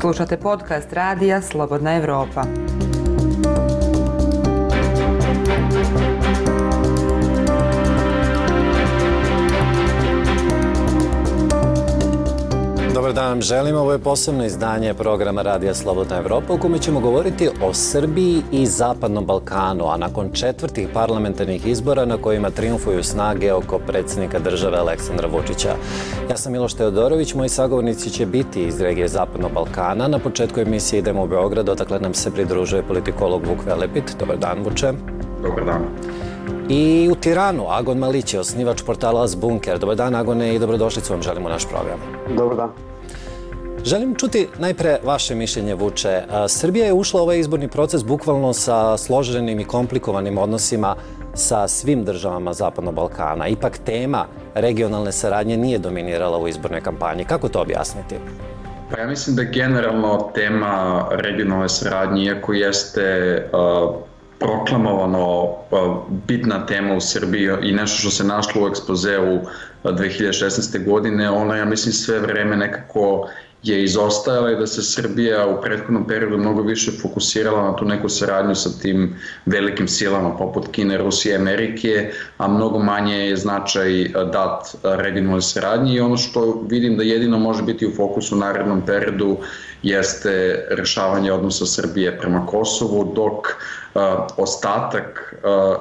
[SPEAKER 4] Slušate podcast Radija Slobodna Evropa.
[SPEAKER 10] Dobar dan, želim. Ovo je posebno izdanje programa Radija Slobodna Evropa u kome ćemo govoriti o Srbiji i Zapadnom Balkanu, a nakon 4. parlamentarnih izbora na kojima triumfuju snage oko predsjednika države Aleksandra Vučića. Ja sam Miloš Teodorović, moji sagovornici će biti iz regije Zapadnog Balkana. Na početku emisije idemo u Beograd, odakle nam se pridružuje politikolog Vuk Velepit. Dobar dan, Vuče.
[SPEAKER 13] Dobar dan.
[SPEAKER 10] I u Tiranu, Agon Malić, osnivač portala Zbunker. Dobar dan, Agone, i dobrodošlicu vam želim u naš program.
[SPEAKER 14] Dobar dan.
[SPEAKER 10] Želim čuti najpre vaše mišljenje, Vuče. Srbija je ušla u ovaj izborni proces bukvalno sa složenim i komplikovanim odnosima sa svim državama Zapadnog Balkana. Ipak tema regionalne saradnje nije dominirala u izbornoj kampanji. Kako to objasniti?
[SPEAKER 13] Pa ja mislim da generalno tema regionalne saradnje, iako jeste proklamovano bitna tema u Srbiji i nešto što se našlo u ekspozeu 2016. godine, ona, ja mislim, sve vreme nekako je izostajala i da se Srbija u prethodnom periodu mnogo više fokusirala na tu neku saradnju sa tim velikim silama poput Kine, Rusije, Amerike, a mnogo manje je značaj dat regionalnoj saradnji i ono što vidim da jedino može biti u fokusu u narednom periodu jeste rešavanje odnosa Srbije prema Kosovu, dok ostatak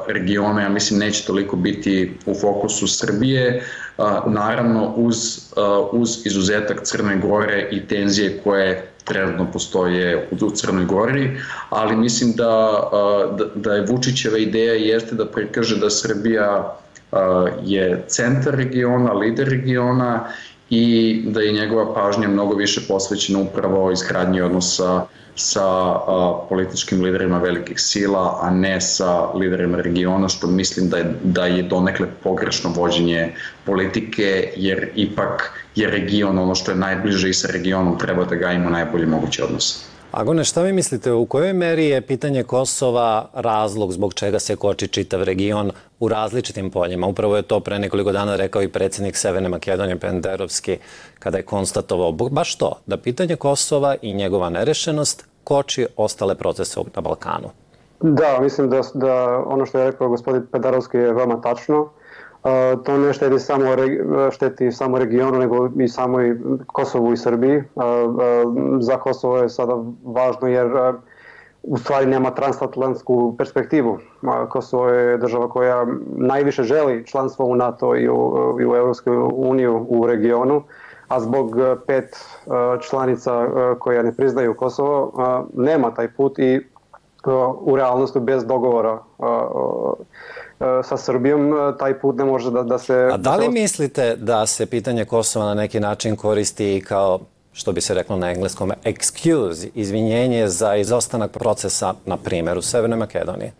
[SPEAKER 13] regiona, ja mislim, neće toliko biti u fokusu Srbije, naravno uz izuzetak Crne Gore i tenzije koje trenutno postoje u Crnoj Gori, ali mislim da je Vučićeva ideja jeste da prikaže da Srbija je centar regiona, lider regiona i da je njegova pažnja mnogo više posvećena upravo izgradnji odnosa sa političkim liderima velikih sila, a ne sa liderima regiona, što mislim da je donekle pogrešno vođenje politike, jer ipak je region ono što je najbliže i sa regionom treba da ga ima najbolji mogući odnos.
[SPEAKER 10] Agone, šta vi mislite, u kojoj meri je pitanje Kosova razlog zbog čega se koči čitav region u različitim poljima? Upravo je to pre nekoliko dana rekao i predsjednik Severne Makedonije Penderovski kada je konstatovao baš to, da pitanje Kosova i njegova nerešenost koči ostale procese na Balkanu.
[SPEAKER 14] Da, mislim da ono što je rekao gospodin Penderovski je veoma tačno. To ne šteti samo regionu, nego i samoj Kosovu i Srbiji. Za Kosovo je sada važno jer u stvari nema transatlantsku perspektivu. Kosovo je država koja najviše želi članstvo u NATO i u Europskoj uniju u regionu, a zbog 5 članica koja ne priznaju Kosovo nema taj put i u realnosti bez dogovora sa Srbijom taj put ne može da se...
[SPEAKER 10] A da li mislite da se pitanje Kosova na neki način koristi kao, što bi se reklo na engleskom, excuse, izvinjenje za izostanak procesa, na primjer, u Severnoj Makedoniji?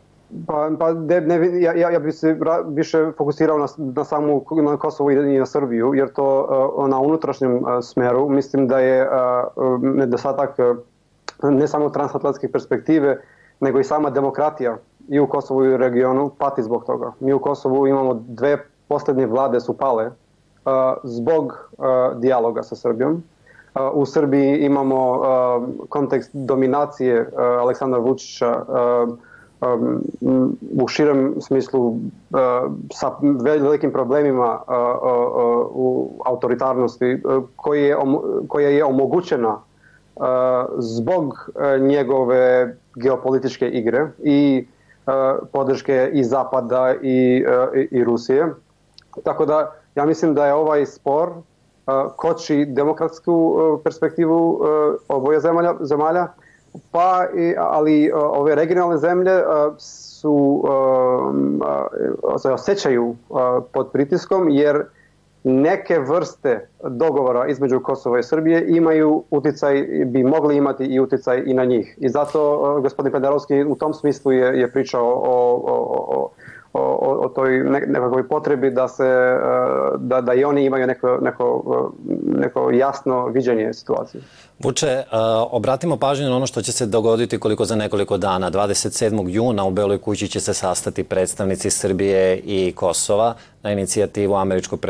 [SPEAKER 14] Ja bih se više fokusirao na Kosovo i na Srbiju, jer to na unutrašnjem smeru mislim da je nedostatak ne samo transatlantske perspektive, nego i sama demokratija i u Kosovu i u regionu pati zbog toga. Mi u Kosovu imamo 2 posljednje vlade su pale zbog dijaloga sa Srbijom. U Srbiji imamo kontekst dominacije Aleksandra Vučića u širem smislu sa velikim problemima u autoritarnosti koja je omogućena zbog njegove geopolitičke igre i podrške i Zapada i Rusije. Tako da ja mislim da je ovaj spor koči demokratsku perspektivu oboje zemalja, ali ove regionalne zemlje se osjećaju pod pritiskom jer neke vrste dogovora između Kosova i Srbije imaju uticaj, bi mogli imati i uticaj i na njih. I zato gospodin Penderovski u tom smislu je pričao o toj nekakvoj potrebi da i oni imaju neko jasno viđenje situacije.
[SPEAKER 10] Vuče, obratimo pažnju na ono što će se dogoditi koliko za nekoliko dana. 27. juna u Beloj kući će se sastati predstavnici Srbije i Kosova. na inicijativu američkog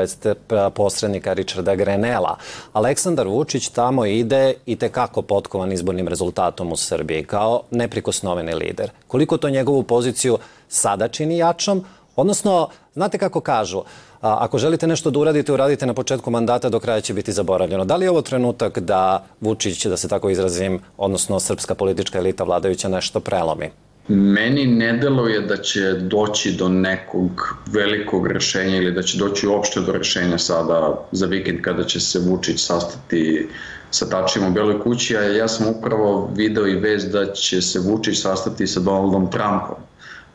[SPEAKER 10] posrednika Richarda Grenella. Aleksandar Vučić tamo ide i tekako potkovan izbornim rezultatom u Srbiji kao neprikosnoveni lider. Koliko to njegovu poziciju sada čini jačom? Odnosno, znate kako kažu, ako želite nešto da uradite, uradite na početku mandata, do kraja će biti zaboravljeno. Da li je ovo trenutak da Vučić, da se tako izrazim, odnosno srpska politička elita vladajuća nešto prelomi?
[SPEAKER 13] Meni ne deluje da će doći do nekog velikog rešenja ili da će doći uopšte do rešenja sada za vikend kada će se Vučić sastati sa Tačijem u Beloj kući, a ja sam upravo video i vest da će se Vučić sastati sa Donaldom Trumpom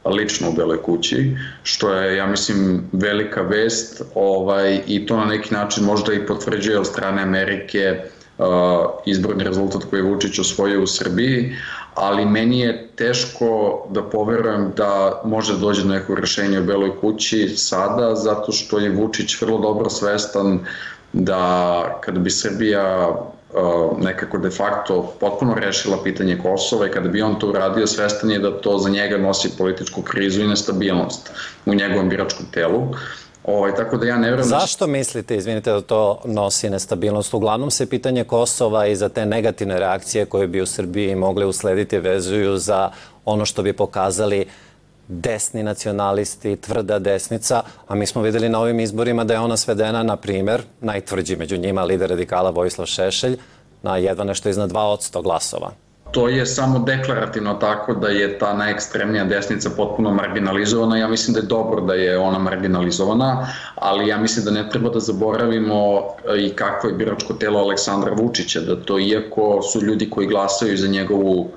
[SPEAKER 13] lično u Beloj kući, što je, ja mislim, velika vest i to na neki način možda i potvrđuje od strane Amerike izborni rezultat koji je Vučić osvojio u Srbiji, ali meni je teško da poverujem da može dođe do nekog rešenja u Beloj kući sada, zato što je Vučić vrlo dobro svestan da kada bi Srbija nekako de facto potpuno rešila pitanje Kosova i kada bi on to uradio, svestan je da to za njega nosi političku krizu i nestabilnost u njegovom biračkom telu. Tako da ja ne vjerujem...
[SPEAKER 10] Zašto mislite, izvinite, da to nosi nestabilnost? Uglavnom se pitanje Kosova i za te negativne reakcije koje bi u Srbiji mogle uslediti vezuju za ono što bi pokazali desni nacionalisti, tvrda desnica, a mi smo videli na ovim izborima da je ona svedena, na primjer, najtvrđi među njima lider radikala Vojislav Šešelj, na jedva nešto iznad 2% glasova.
[SPEAKER 13] To je samo deklarativno tako da je ta najekstremnija desnica potpuno marginalizovana. Ja mislim da je dobro da je ona marginalizovana, ali ja mislim da ne treba da zaboravimo i kakvo je biračko telo Aleksandra Vučića, da to iako su ljudi koji glasaju za njegovu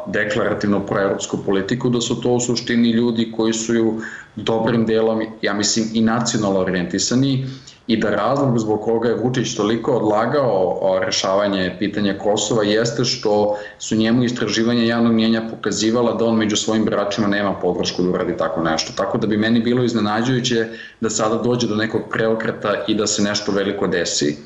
[SPEAKER 13] deklarativno proevropsku politiku, da su to u suštini ljudi koji su dobrim delom, ja mislim, i nacionalno orijentisani i da razlog zbog koga je Vučić toliko odlagao rešavanje pitanja Kosova jeste što su njemu istraživanja javnog mnjenja pokazivala da on među svojim biračima nema podršku da uradi tako nešto. Tako da bi meni bilo iznenađujuće da sada dođe do nekog preokreta i da se nešto veliko desi.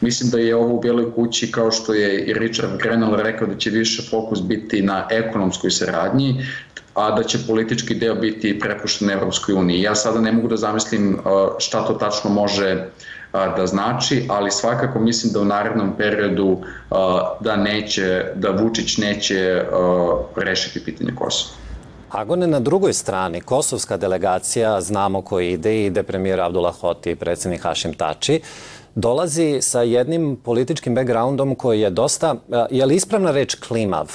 [SPEAKER 13] Mislim da je ovo u Beloj kući, kao što je i Richard Grenell rekao, da će više fokus biti na ekonomskoj saradnji, a da će politički deo biti prepušten Evropskoj uniji. Ja sada ne mogu da zamislim šta to tačno može da znači, ali svakako mislim da u narednom periodu da Vučić neće rešiti pitanje Kosova.
[SPEAKER 10] Agone, na drugoj strani, kosovska delegacija, znamo ko ide premijer Abdullah Hoti i predsjednik Hašim Tači, dolazi sa jednim političkim backgroundom koji je dosta, je li ispravna reč klimav?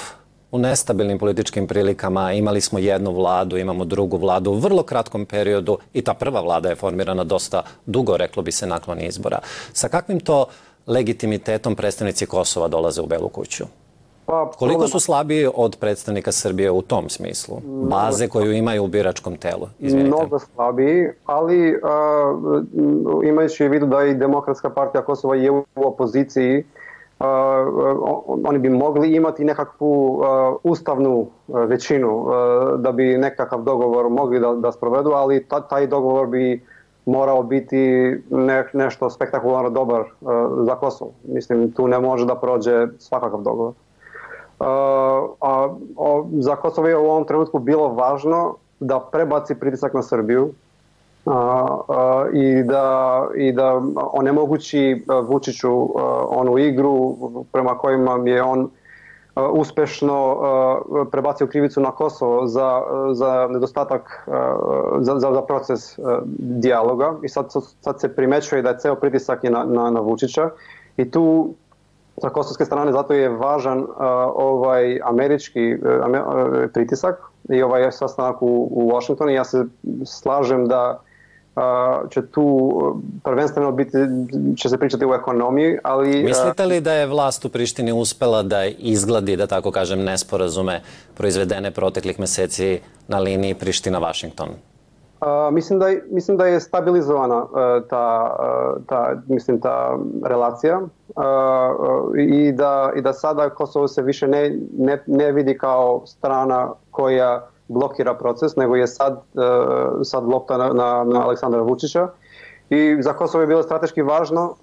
[SPEAKER 10] U nestabilnim političkim prilikama imali smo jednu vladu, imamo drugu vladu u vrlo kratkom periodu i ta prva vlada je formirana dosta dugo, reklo bi se, nakon izbora. Sa kakvim to legitimitetom predstavnici Kosova dolaze u Belu kuću? Koliko su slabiji od predstavnika Srbije u tom smislu? Baze koju imaju u biračkom telu?
[SPEAKER 14] Mnogo slabiji, ali imajući u vidu da i Demokratska partija Kosova je u opoziciji, oni bi mogli imati nekakvu ustavnu većinu da bi nekakav dogovor mogli da sprovedu, ali taj dogovor bi morao biti nešto spektakularno dobar za Kosovo. Mislim, tu ne može da prođe svakakav dogovor. Za Kosovo je u ovom trenutku bilo važno da prebaci pritisak na Srbiju i da onemogući Vučiću onu igru prema kojima je on uspešno prebacio krivicu na Kosovo za nedostatak, za proces dijaloga. I sad se primećuje da je ceo pritisak na Vučića i tu sa kosovske strane zato je važan ovaj američki pritisak i ovaj sastanak u Washingtonu. Ja se slažem da će tu prvenstveno će se pričati o ekonomiji, ali...
[SPEAKER 10] Mislite li da je vlast u Prištini uspela da izgladi, da tako kažem, nesporazume proizvedene proteklih meseci na liniji Priština-Vašington?
[SPEAKER 14] Mislim da je stabilizovana ta relacija i da sada Kosovo se više ne vidi kao strana koja blokira proces, nego je sad lopta na Aleksandra Vučića. I za Kosovo je bilo strateški važno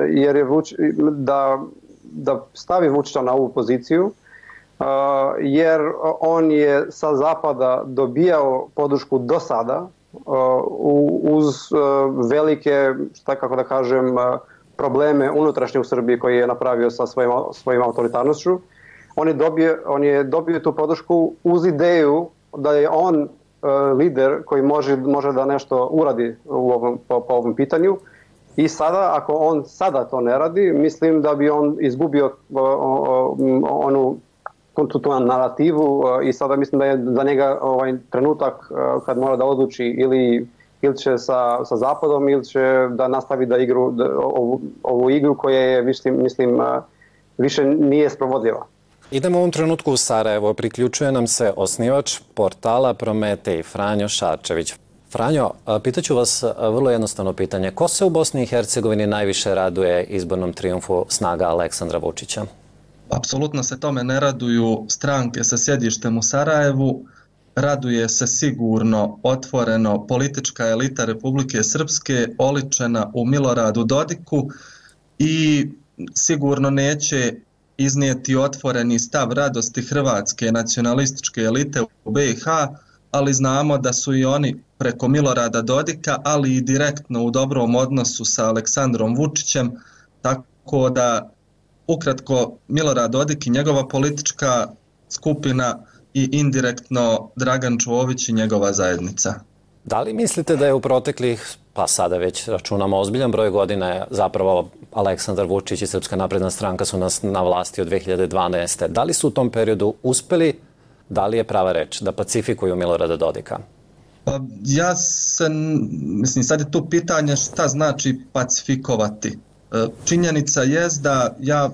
[SPEAKER 14] jer je da stavi Vučića na ovu poziciju, jer on je sa zapada dobijao podršku do sada uz velike, kako da kažem, probleme unutrašnje u Srbiji koje je napravio sa svojim autoritarnošću. On je dobio tu podršku uz ideju da je on lider koji može da nešto uradi po ovom pitanju. I sada, ako on sada to ne radi, mislim da bi on izgubio onu tu narativu i sada mislim da je za njega trenutak kad mora da odluči ili će sa Zapadom ili će da nastavi da ovu igru koja je, mislim, više nije sprovodljiva.
[SPEAKER 10] Idemo u ovom trenutku u Sarajevo. Priključuje nam se osnivač portala Prometej, Franjo Šarčević. Franjo, pitaću vas vrlo jednostavno pitanje. Ko se u Bosni i Hercegovini najviše raduje izbornom trijumfu snaga Aleksandra Vučića?
[SPEAKER 3] Apsolutno se tome ne raduju stranke sa sjedištem u Sarajevu. Raduje se sigurno, otvoreno, politička elita Republike Srpske oličena u Miloradu Dodiku i sigurno neće iznijeti otvoreni stav radosti hrvatske nacionalističke elite u BiH, ali znamo da su i oni preko Milorada Dodika, ali i direktno u dobrom odnosu sa Aleksandrom Vučićem, tako da ukratko Milorad Dodik i njegova politička skupina i indirektno Dragan Čović i njegova zajednica.
[SPEAKER 10] Da li mislite da je u proteklih, pa sada već računamo ozbiljan broj godina, zapravo Aleksandar Vučić i Srpska napredna stranka su na vlasti od 2012. Da li su u tom periodu uspeli, da li je prava reč, da pacifikuju Milorada Dodika?
[SPEAKER 3] Mislim, sad je tu pitanje šta znači pacifikovati. Činjenica je da ja,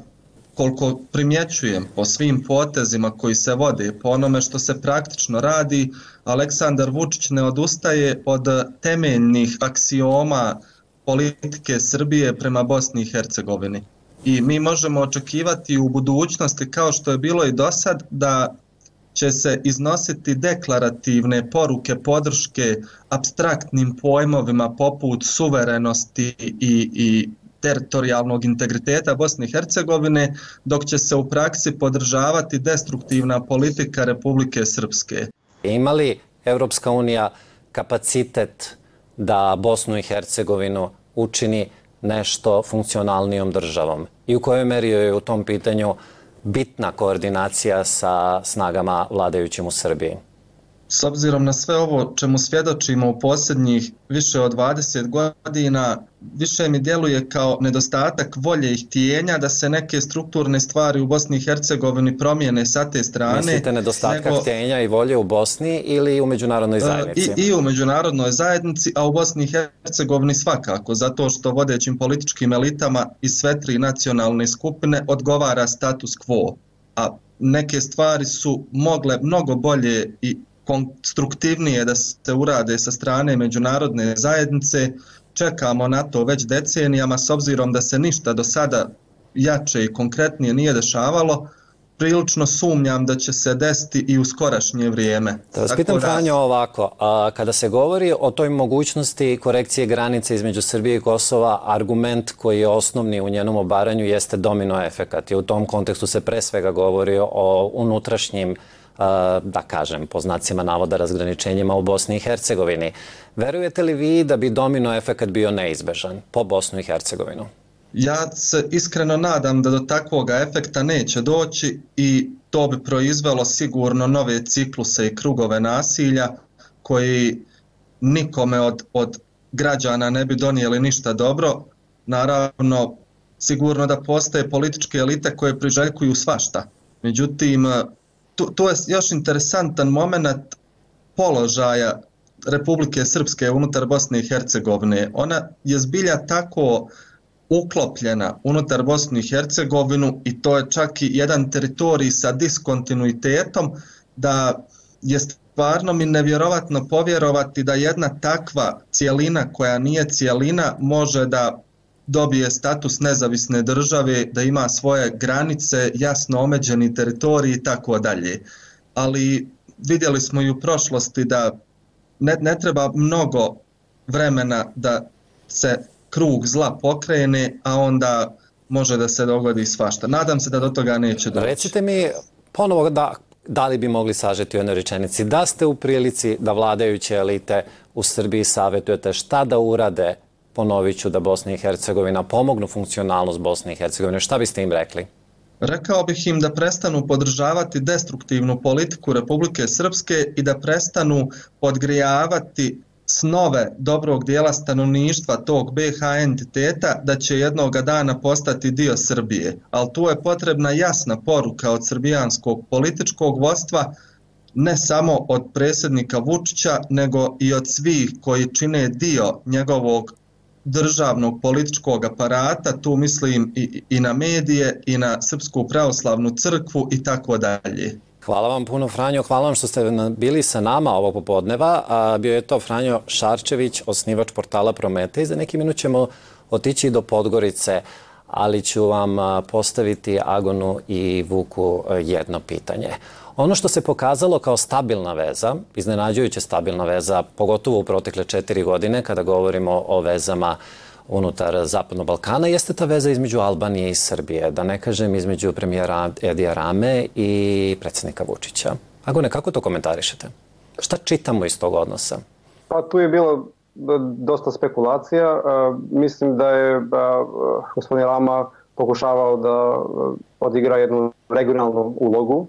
[SPEAKER 3] koliko primjećujem po svim potezima koji se vode, po onome što se praktično radi, Aleksandar Vučić ne odustaje od temeljnih aksioma politike Srbije prema Bosni i Hercegovini. I mi možemo očekivati u budućnosti, kao što je bilo i do sad, da će se iznositi deklarativne poruke podrške apstraktnim pojmovima poput suverenosti i teritorijalnog integriteta Bosne i Hercegovine, dok će se u praksi podržavati destruktivna politika Republike Srpske.
[SPEAKER 10] Ima li Evropska unija kapacitet da Bosnu i Hercegovinu učini nešto funkcionalnijom državom? I u kojoj meri je u tom pitanju bitna koordinacija sa snagama vladajućim u Srbiji?
[SPEAKER 3] S obzirom na sve ovo čemu svjedočimo u posljednjih više od 20 godina, više mi djeluje kao nedostatak volje i htjenja da se neke strukturne stvari u Bosni i Hercegovini promijene sa te strane.
[SPEAKER 10] Mislite nedostatka htjenja i volje u Bosni ili u međunarodnoj zajednici?
[SPEAKER 3] I u međunarodnoj zajednici, a u Bosni i Hercegovini svakako, zato što vodećim političkim elitama iz sve tri nacionalne skupine odgovara status quo. A neke stvari su mogle mnogo bolje i konstruktivnije da se urade sa strane međunarodne zajednice. Čekamo na to već decenijama, s obzirom da se ništa do sada jače i konkretnije nije dešavalo. Prilično sumnjam da će se desiti i u skorašnje vrijeme.
[SPEAKER 10] Da vas pitam, Franjo, ovako, kada se govori o toj mogućnosti korekcije granice između Srbije i Kosova, argument koji je osnovni u njenom obaranju jeste domino efekat. I u tom kontekstu se pre svega govori o unutrašnjim, da kažem, po znacima navoda, razgraničenjima u Bosni i Hercegovini. Verujete li vi da bi domino efekat bio neizbežan po Bosnu i Hercegovinu?
[SPEAKER 3] Ja se iskreno nadam da do takvoga efekta neće doći i to bi proizvelo sigurno nove cikluse i krugove nasilja koji nikome od građana ne bi donijeli ništa dobro. Naravno, sigurno da postoje političke elite koje priželjkuju svašta. Međutim, tu je još interesantan moment položaja Republike Srpske unutar Bosne i Hercegovine. Ona je zbilja tako uklopljena unutar Bosnu i Hercegovinu i to je čak i jedan teritorij sa diskontinuitetom, da je stvarno mi nevjerovatno povjerovati da jedna takva cijelina koja nije cijelina može da dobije status nezavisne države, da ima svoje granice, jasno omeđeni teritorij i tako dalje. Ali vidjeli smo i u prošlosti da ne treba mnogo vremena da se krug zla pokrene, a onda može da se dogodi svašta. Nadam se da do toga neće doći.
[SPEAKER 10] Recite mi ponovo da li bi mogli sažeti u jednoj rečenici, da ste u prilici da vladajuće elite u Srbiji savjetujete šta da urade, ponovit ću, da Bosna i Hercegovina pomognu funkcionalnost Bosne i Hercegovine? Šta biste im rekli?
[SPEAKER 3] Rekao bih im da prestanu podržavati destruktivnu politiku Republike Srpske i da prestanu podgrijavati snove dobrog dijela stanovništva tog BiH entiteta da će jednoga dana postati dio Srbije. Ali tu je potrebna jasna poruka od srbijanskog političkog vodstva, ne samo od predsjednika Vučića, nego i od svih koji čine dio njegovog državnog političkog aparata, tu mislim i na medije, i na Srpsku pravoslavnu crkvu i tako dalje.
[SPEAKER 10] Hvala vam puno, Franjo. Hvala vam što ste bili sa nama ovog popodneva. Bio je to Franjo Šarčević, osnivač portala Prometej. Za neki minut ćemo otići do Podgorice, ali ću vam postaviti Agonu i Vuku jedno pitanje. Ono što se pokazalo kao stabilna veza, iznenađujuće stabilna veza, pogotovo u protekle 4 godine, kada govorimo o vezama unutar Zapadnog Balkana, jeste ta veza između Albanije i Srbije, da ne kažem između premijera Edija Rame i predsjednika Vučića. Agone, kako to komentarišete? Šta čitamo iz tog odnosa?
[SPEAKER 14] Pa tu je bilo dosta spekulacija. Mislim da je gospodin Rama pokušavao da odigra jednu regionalnu ulogu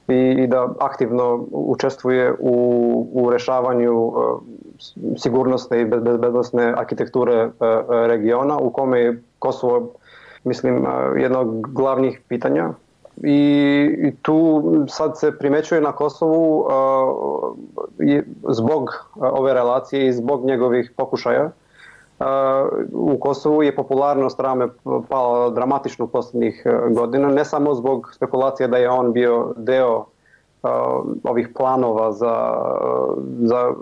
[SPEAKER 14] i da aktivno učestvuje u rešavanju sigurnosne i bezbednosne arhitekture regiona, u kome je Kosovo, mislim, jedno od glavnih pitanja. I tu sad se primećuje na Kosovu zbog ove relacije i zbog njegovih pokušaja. U Kosovu je popularnost Rame pala dramatično u posljednjih godina, ne samo zbog spekulacije da je on bio deo ovih planova za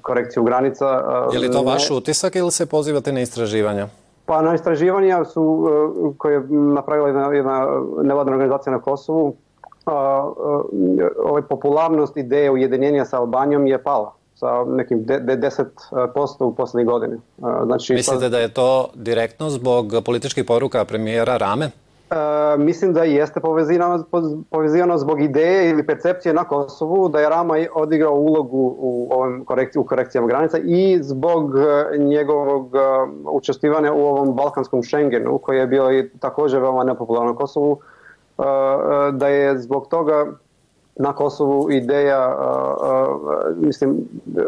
[SPEAKER 14] korekciju granica.
[SPEAKER 10] Je li to vaš utisak ili se pozivate na istraživanja?
[SPEAKER 14] Pa na istraživanja koje je napravila jedna nevladina organizacija na Kosovu, popularnost ideje ujedinjenja sa Albanijom je pala sa nekim 10% u posljednjih godine. Znači,
[SPEAKER 10] mislite da je to direktno zbog političkih poruka premijera Rame?
[SPEAKER 14] Mislim da jeste povezivano zbog ideje ili percepcije na Kosovu da je Rama odigrao ulogu u korekcijama granica i zbog njegovog učestvivanja u ovom balkanskom Schengenu, koji je bio i također veoma nepopularno na Kosovu, da je zbog toga na Kosovu ideja, mislim,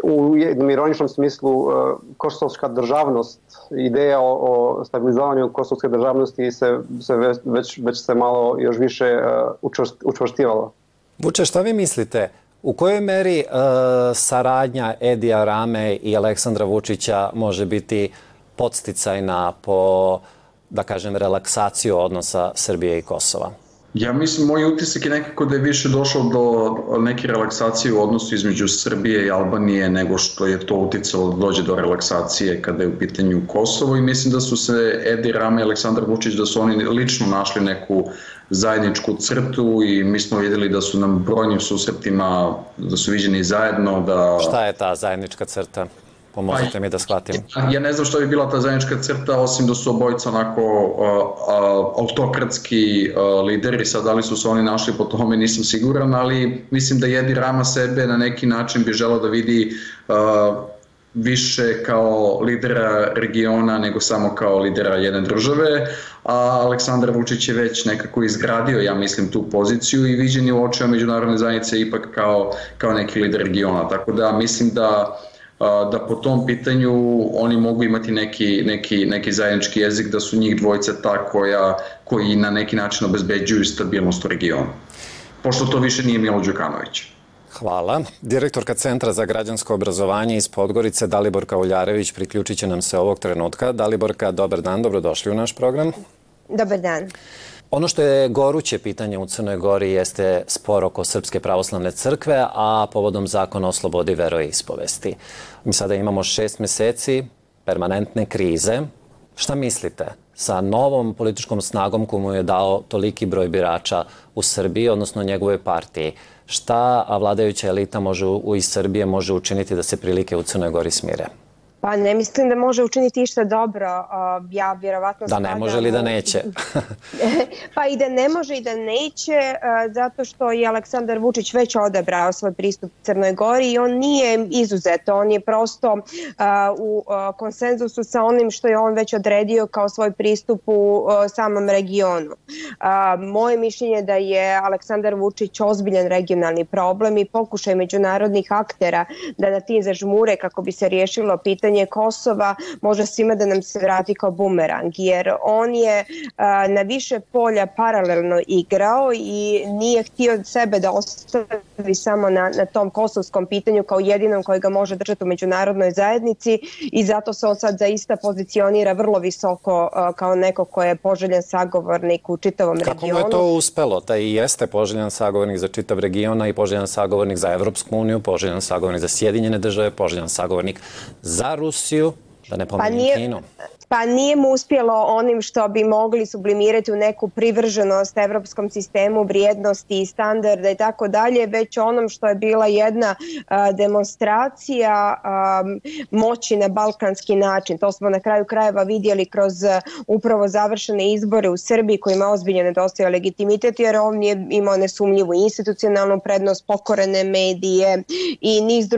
[SPEAKER 14] u jednom ironičnom smislu, kosovska državnost, ideja o stabilizavanju kosovske državnosti već se malo još više učvrstivala.
[SPEAKER 10] Vuče, šta vi mislite? U kojoj meri saradnja Edija Rame i Aleksandra Vučića može biti podsticajna po, da kažem, relaksaciju odnosa Srbije i Kosova?
[SPEAKER 13] Ja mislim, moj utisak je nekako da je više došlo do neke relaksacije u odnosu između Srbije i Albanije nego što je to uticalo da dođe do relaksacije kada je u pitanju Kosovo, i mislim da su se Edi Rama i Aleksandar Vučić, da su oni lično našli neku zajedničku crtu i mi smo vidjeli da su nam brojnim susretima, da su viđeni zajedno.
[SPEAKER 10] Šta je ta zajednička crta? Pomozite mi da shvatim.
[SPEAKER 13] Ja ne znam što bi bila ta zajednička crta, osim da su obojica onako autokratski lideri. Sad, da li su se oni našli po tome, nisam siguran, ali mislim da Edi Rama sebe na neki način bi želeo da vidi više kao lidera regiona nego samo kao lidera jedne države, a Aleksandar Vučić je već nekako izgradio, ja mislim, tu poziciju i viđen je u očima međunarodne zajednice ipak kao neki lider regiona. Tako da mislim da po tom pitanju oni mogu imati neki zajednički jezik, da su njih dvojica ta koji na neki način obezbeđuju stabilnost u regionu. Pošto to više nije Milo Đukanović.
[SPEAKER 10] Hvala. Direktorka Centra za građansko obrazovanje iz Podgorice, Daliborka Uljarević, priključit će nam se ovog trenutka. Daliborka, dobar dan, dobrodošli u naš program.
[SPEAKER 5] Dobar dan.
[SPEAKER 10] Ono što je goruće pitanje u Crnoj Gori jeste spor oko Srpske pravoslavne crkve, a povodom zakona o slobodi veroispovesti. Mi sada imamo 6 meseci permanentne krize. Šta mislite? Sa novom političkom snagom koju mu je dao toliki broj birača u Srbiji, odnosno njegovoj partiji, šta vladajuća elita iz Srbije može učiniti da se prilike u Crnoj Gori smire?
[SPEAKER 5] Pa ne mislim da može učiniti išta dobro. Ja vjerovatno
[SPEAKER 10] da ne može ili da neće?
[SPEAKER 5] Pa i da ne može i da neće, zato što je Aleksandar Vučić već odabrao svoj pristup Crnoj Gori i on nije izuzet. On je prosto u konsenzusu sa onim što je on već odredio kao svoj pristup u samom regionu. Moje mišljenje je da je Aleksandar Vučić ozbiljan regionalni problem i pokušaj međunarodnih aktera da na tim zažmure kako bi se riješilo pitanje Kosova može svima da nam se vrati kao bumerang, jer on je na više polja paralelno igrao i nije htio sebe da ostavi samo na tom kosovskom pitanju kao jedinom koji ga može držati u međunarodnoj zajednici i zato se on sad zaista pozicionira vrlo visoko kao neko ko je poželjan sagovornik u čitavom regionu.
[SPEAKER 10] Kako mu je to uspelo? Da i jeste poželjan sagovornik za čitav region i poželjan sagovornik za Evropsku uniju, poželjan sagovornik za Sjedinjene države, poželjan sagovornik za Rusiju, da ne pominjem Kinu.
[SPEAKER 5] Pa nije mu uspjelo onim što bi mogli sublimirati u neku privrženost evropskom sistemu vrijednosti i standarda i tako dalje, već onom što je bila jedna demonstracija moći na balkanski način. To smo na kraju krajeva vidjeli kroz upravo završene izbore u Srbiji kojima ozbiljno nedostajao legitimitet jer on je imao nesumnjivu institucionalnu prednost, pokorene medije i niz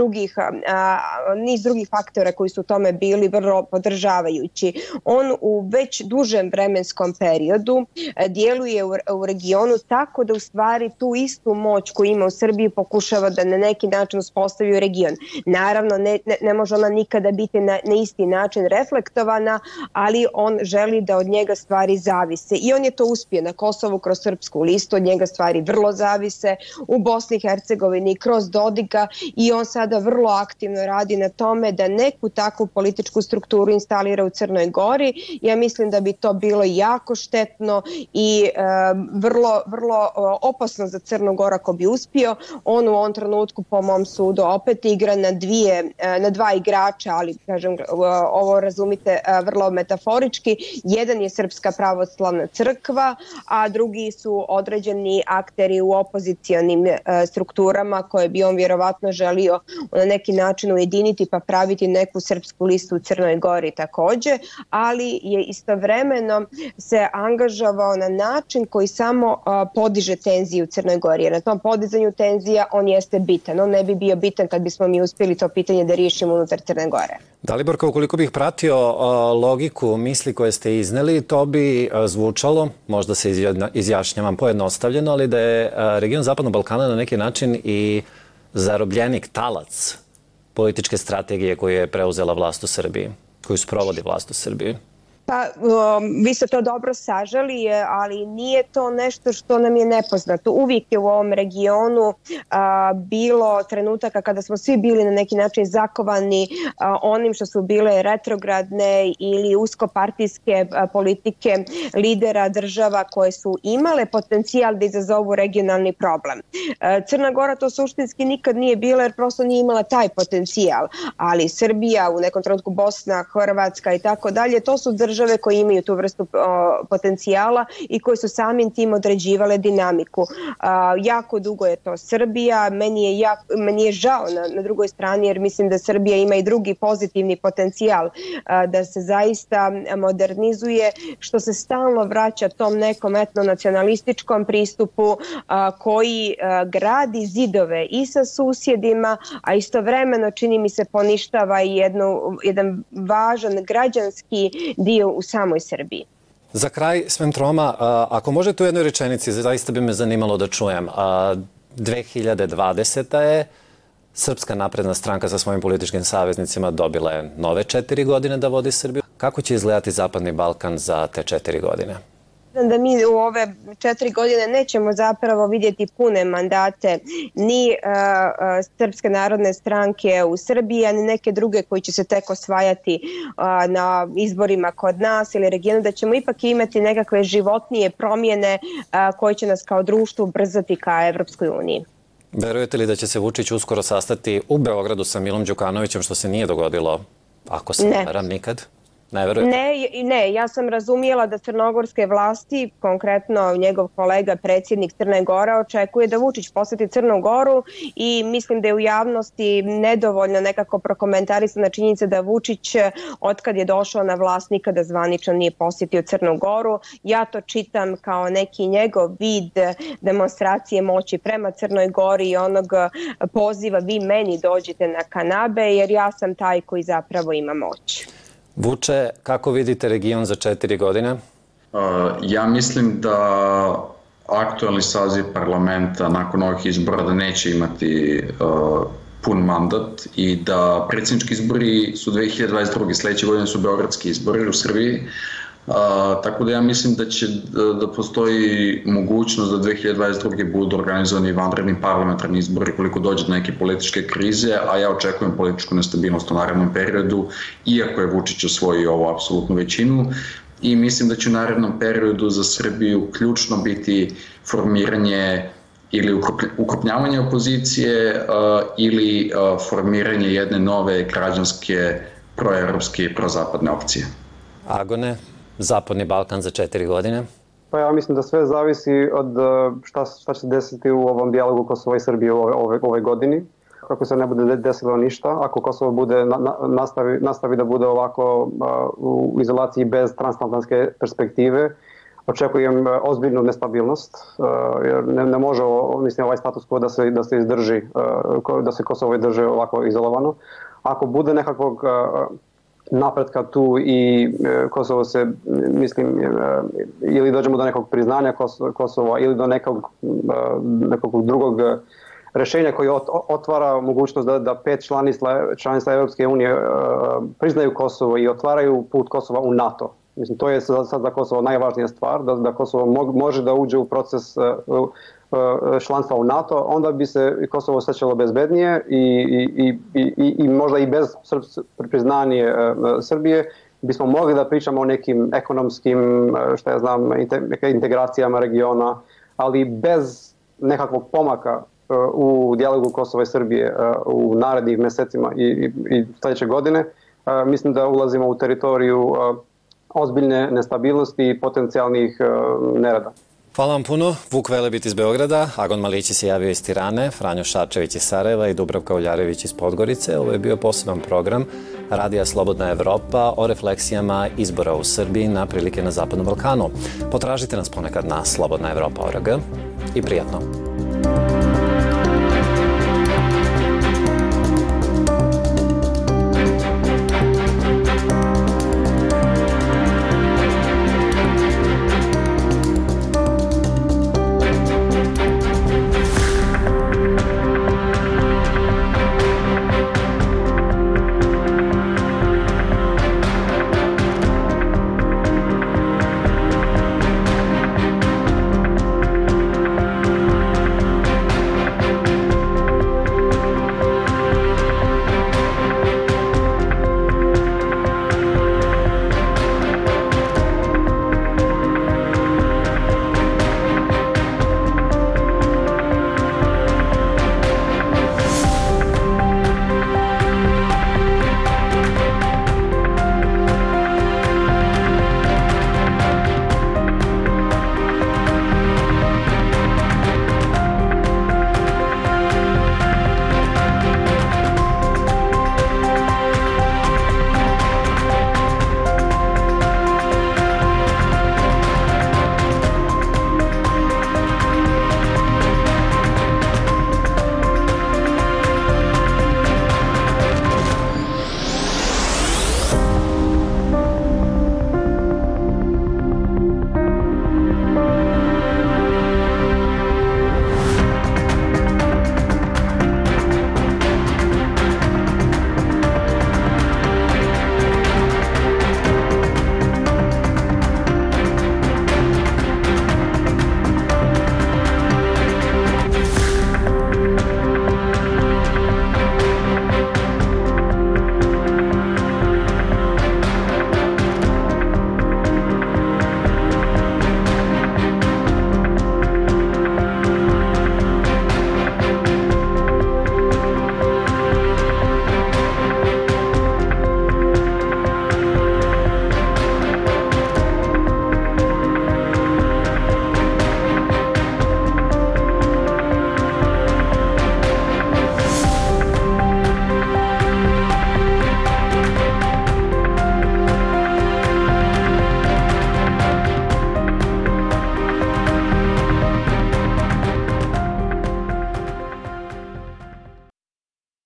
[SPEAKER 5] drugih faktora koji su tome bili vrlo podržavajući. On u već dužem vremenskom periodu djeluje u regionu tako da u stvari tu istu moć koju ima u Srbiji pokušava da na neki način uspostavi u region. Naravno, ne može ona nikada biti na isti način reflektovana, ali on želi da od njega stvari zavise. I on je to uspio na Kosovu kroz srpsku listu, od njega stvari vrlo zavise, u Bosni i Hercegovini kroz Dodika i on sada vrlo aktivno radi na tome da neku takvu političku strukturu instalira u Crnoj Gori. Ja mislim da bi to bilo jako štetno i vrlo opasno za Crnu Goru ako bi uspio. On u ovom trenutku po mom sudu opet igra na dva igrača, ali kažem ovo razumite vrlo metaforički. Jedan je Srpska pravoslavna crkva, a drugi su određeni akteri u opozicionim strukturama koje bi on vjerovatno želio na neki način ujediniti pa praviti neku srpsku listu u Crnoj Gori također, ali je istovremeno se angažovao na način koji samo podiže tenziju u Crnoj Gori. Jer na tom podizanju tenzija on jeste bitan. On ne bi bio bitan kad bismo mi uspjeli to pitanje da riješimo unutar Crne Gore.
[SPEAKER 10] Daliborka, ukoliko bih pratio logiku misli koje ste izneli, to bi zvučalo, možda se izjašnjavam pojednostavljeno, ali da je region Zapadnog Balkana na neki način i zarobljenik, talac političke strategije koju je preuzela vlast u Srbiji, koju sprovodi vlast u Srbiji.
[SPEAKER 5] Pa, vi ste to dobro saželi, ali nije to nešto što nam je nepoznato. Uvijek je u ovom regionu bilo trenutaka kada smo svi bili na neki način zakovani onim što su bile retrogradne ili uskopartijske politike lidera država koje su imale potencijal da izazovu regionalni problem. Crna Gora to suštinski nikad nije bila jer prosto nije imala taj potencijal, ali Srbija, u nekom trenutku Bosna, Hrvatska i tako dalje, to su države koje imaju tu vrstu potencijala i koje su samim tim određivale dinamiku. Jako dugo je to Srbija, meni je žao na drugoj strani jer mislim da Srbija ima i drugi pozitivni potencijal da se zaista modernizuje, što se stalno vraća tom nekom etnonacionalističkom pristupu koji gradi zidove i sa susjedima, a istovremeno čini mi se poništava i jedan važan građanski dio u samoj Srbiji.
[SPEAKER 10] Za kraj, Sven Troma, ako možete u jednoj rečenici, zaista bi me zanimalo da čujem. 2020. je Srpska napredna stranka sa svojim političkim saveznicima dobila je nove 4 godine da vodi Srbiju. Kako će izgledati Zapadni Balkan za te 4 godine?
[SPEAKER 5] Da mi u ove 4 godine nećemo zapravo vidjeti pune mandate ni Srpske narodne stranke u Srbiji, ni neke druge koji će se tek osvajati na izborima kod nas ili regionu, da ćemo ipak imati nekakve životnije promjene koje će nas kao društvo ubrzati ka Evropskoj uniji.
[SPEAKER 10] Verujete li da će se Vučić uskoro sastati u Beogradu sa Milom Đukanovićem, što se nije dogodilo, ako se ne varam, nikad? Ne verujete?
[SPEAKER 5] Ne, ja sam razumijela da crnogorske vlasti, konkretno njegov kolega, predsjednik Crne Gore, očekuje da Vučić posjeti Crnu Goru i mislim da je u javnosti nedovoljno nekako prokomentarisana činjenica da Vučić, otkad je došao na vlast, nikada zvanično nije posjetio Crnu Goru. Ja to čitam kao neki njegov vid demonstracije moći prema Crnoj Gori i onog poziva vi meni dođite na kanabe jer ja sam taj koji zapravo ima moć.
[SPEAKER 10] Vuče, kako vidite region za 4 godine?
[SPEAKER 13] Ja mislim da aktualni saziv parlamenta nakon ovih izbora da neće imati pun mandat i da predsjednički izbori su 2022. Sljedeće godine su beogradski izbori u Srbiji. Tako da ja mislim da postoji mogućnost da 2022. budu organizovani vanredni parlamentarni izbori koliko dođe do neke političke krize, a ja očekujem političku nestabilnost u narednom periodu, iako je Vučić osvojio ovu apsolutnu većinu. I mislim da će u narednom periodu za Srbiju ključno biti formiranje ili ukrupnjavanje opozicije ili formiranje jedne nove građanske, proevropske i prozapadne opcije.
[SPEAKER 10] Agone, Zapadni Balkan za 4 godine?
[SPEAKER 14] Pa ja mislim da sve zavisi od šta će se desiti u ovom dijalogu Kosova i Srbije ove godini. Kako se ne bude desilo ništa, ako Kosovo bude nastavi da bude ovako u izolaciji bez transatlantske perspektive, očekujem ozbiljnu nestabilnost, jer ne može ovaj status quo da se izdrži, da se Kosovo drži ovako izolovano. Ako bude nekakvog napretka tu i Kosovo se, mislim, ili dođemo do nekog priznanja Kosova ili do nekog drugog rešenja koji otvara mogućnost da 5 članica Europske unije priznaju Kosovo i otvaraju put Kosova u NATO. Mislim, to je sad za Kosovo najvažnija stvar, da Kosovo može da uđe u proces članstva u NATO, onda bi se Kosovo osjećalo bezbednije i možda i bez priznanje Srbije bismo mogli da pričamo o nekim ekonomskim, integracijama regiona, ali bez nekakvog pomaka u dijalogu Kosova i Srbije u narednih mesecima i sljedeće godine, mislim da ulazimo u teritoriju ozbiljne nestabilnosti i potencijalnih nerada.
[SPEAKER 10] Hvala vam puno. Vuk Velebit iz Beograda, Agon Malići se javio iz Tirane, Franjo Šarčević iz Sarajeva i Dubravka Uljarević iz Podgorice. Ovo je bio poseban program Radija Slobodna Evropa o refleksijama izbora u Srbiji na prilike na Zapadnom Balkanu. Potražite nas ponekad na slobodnaevropa.org i prijatno.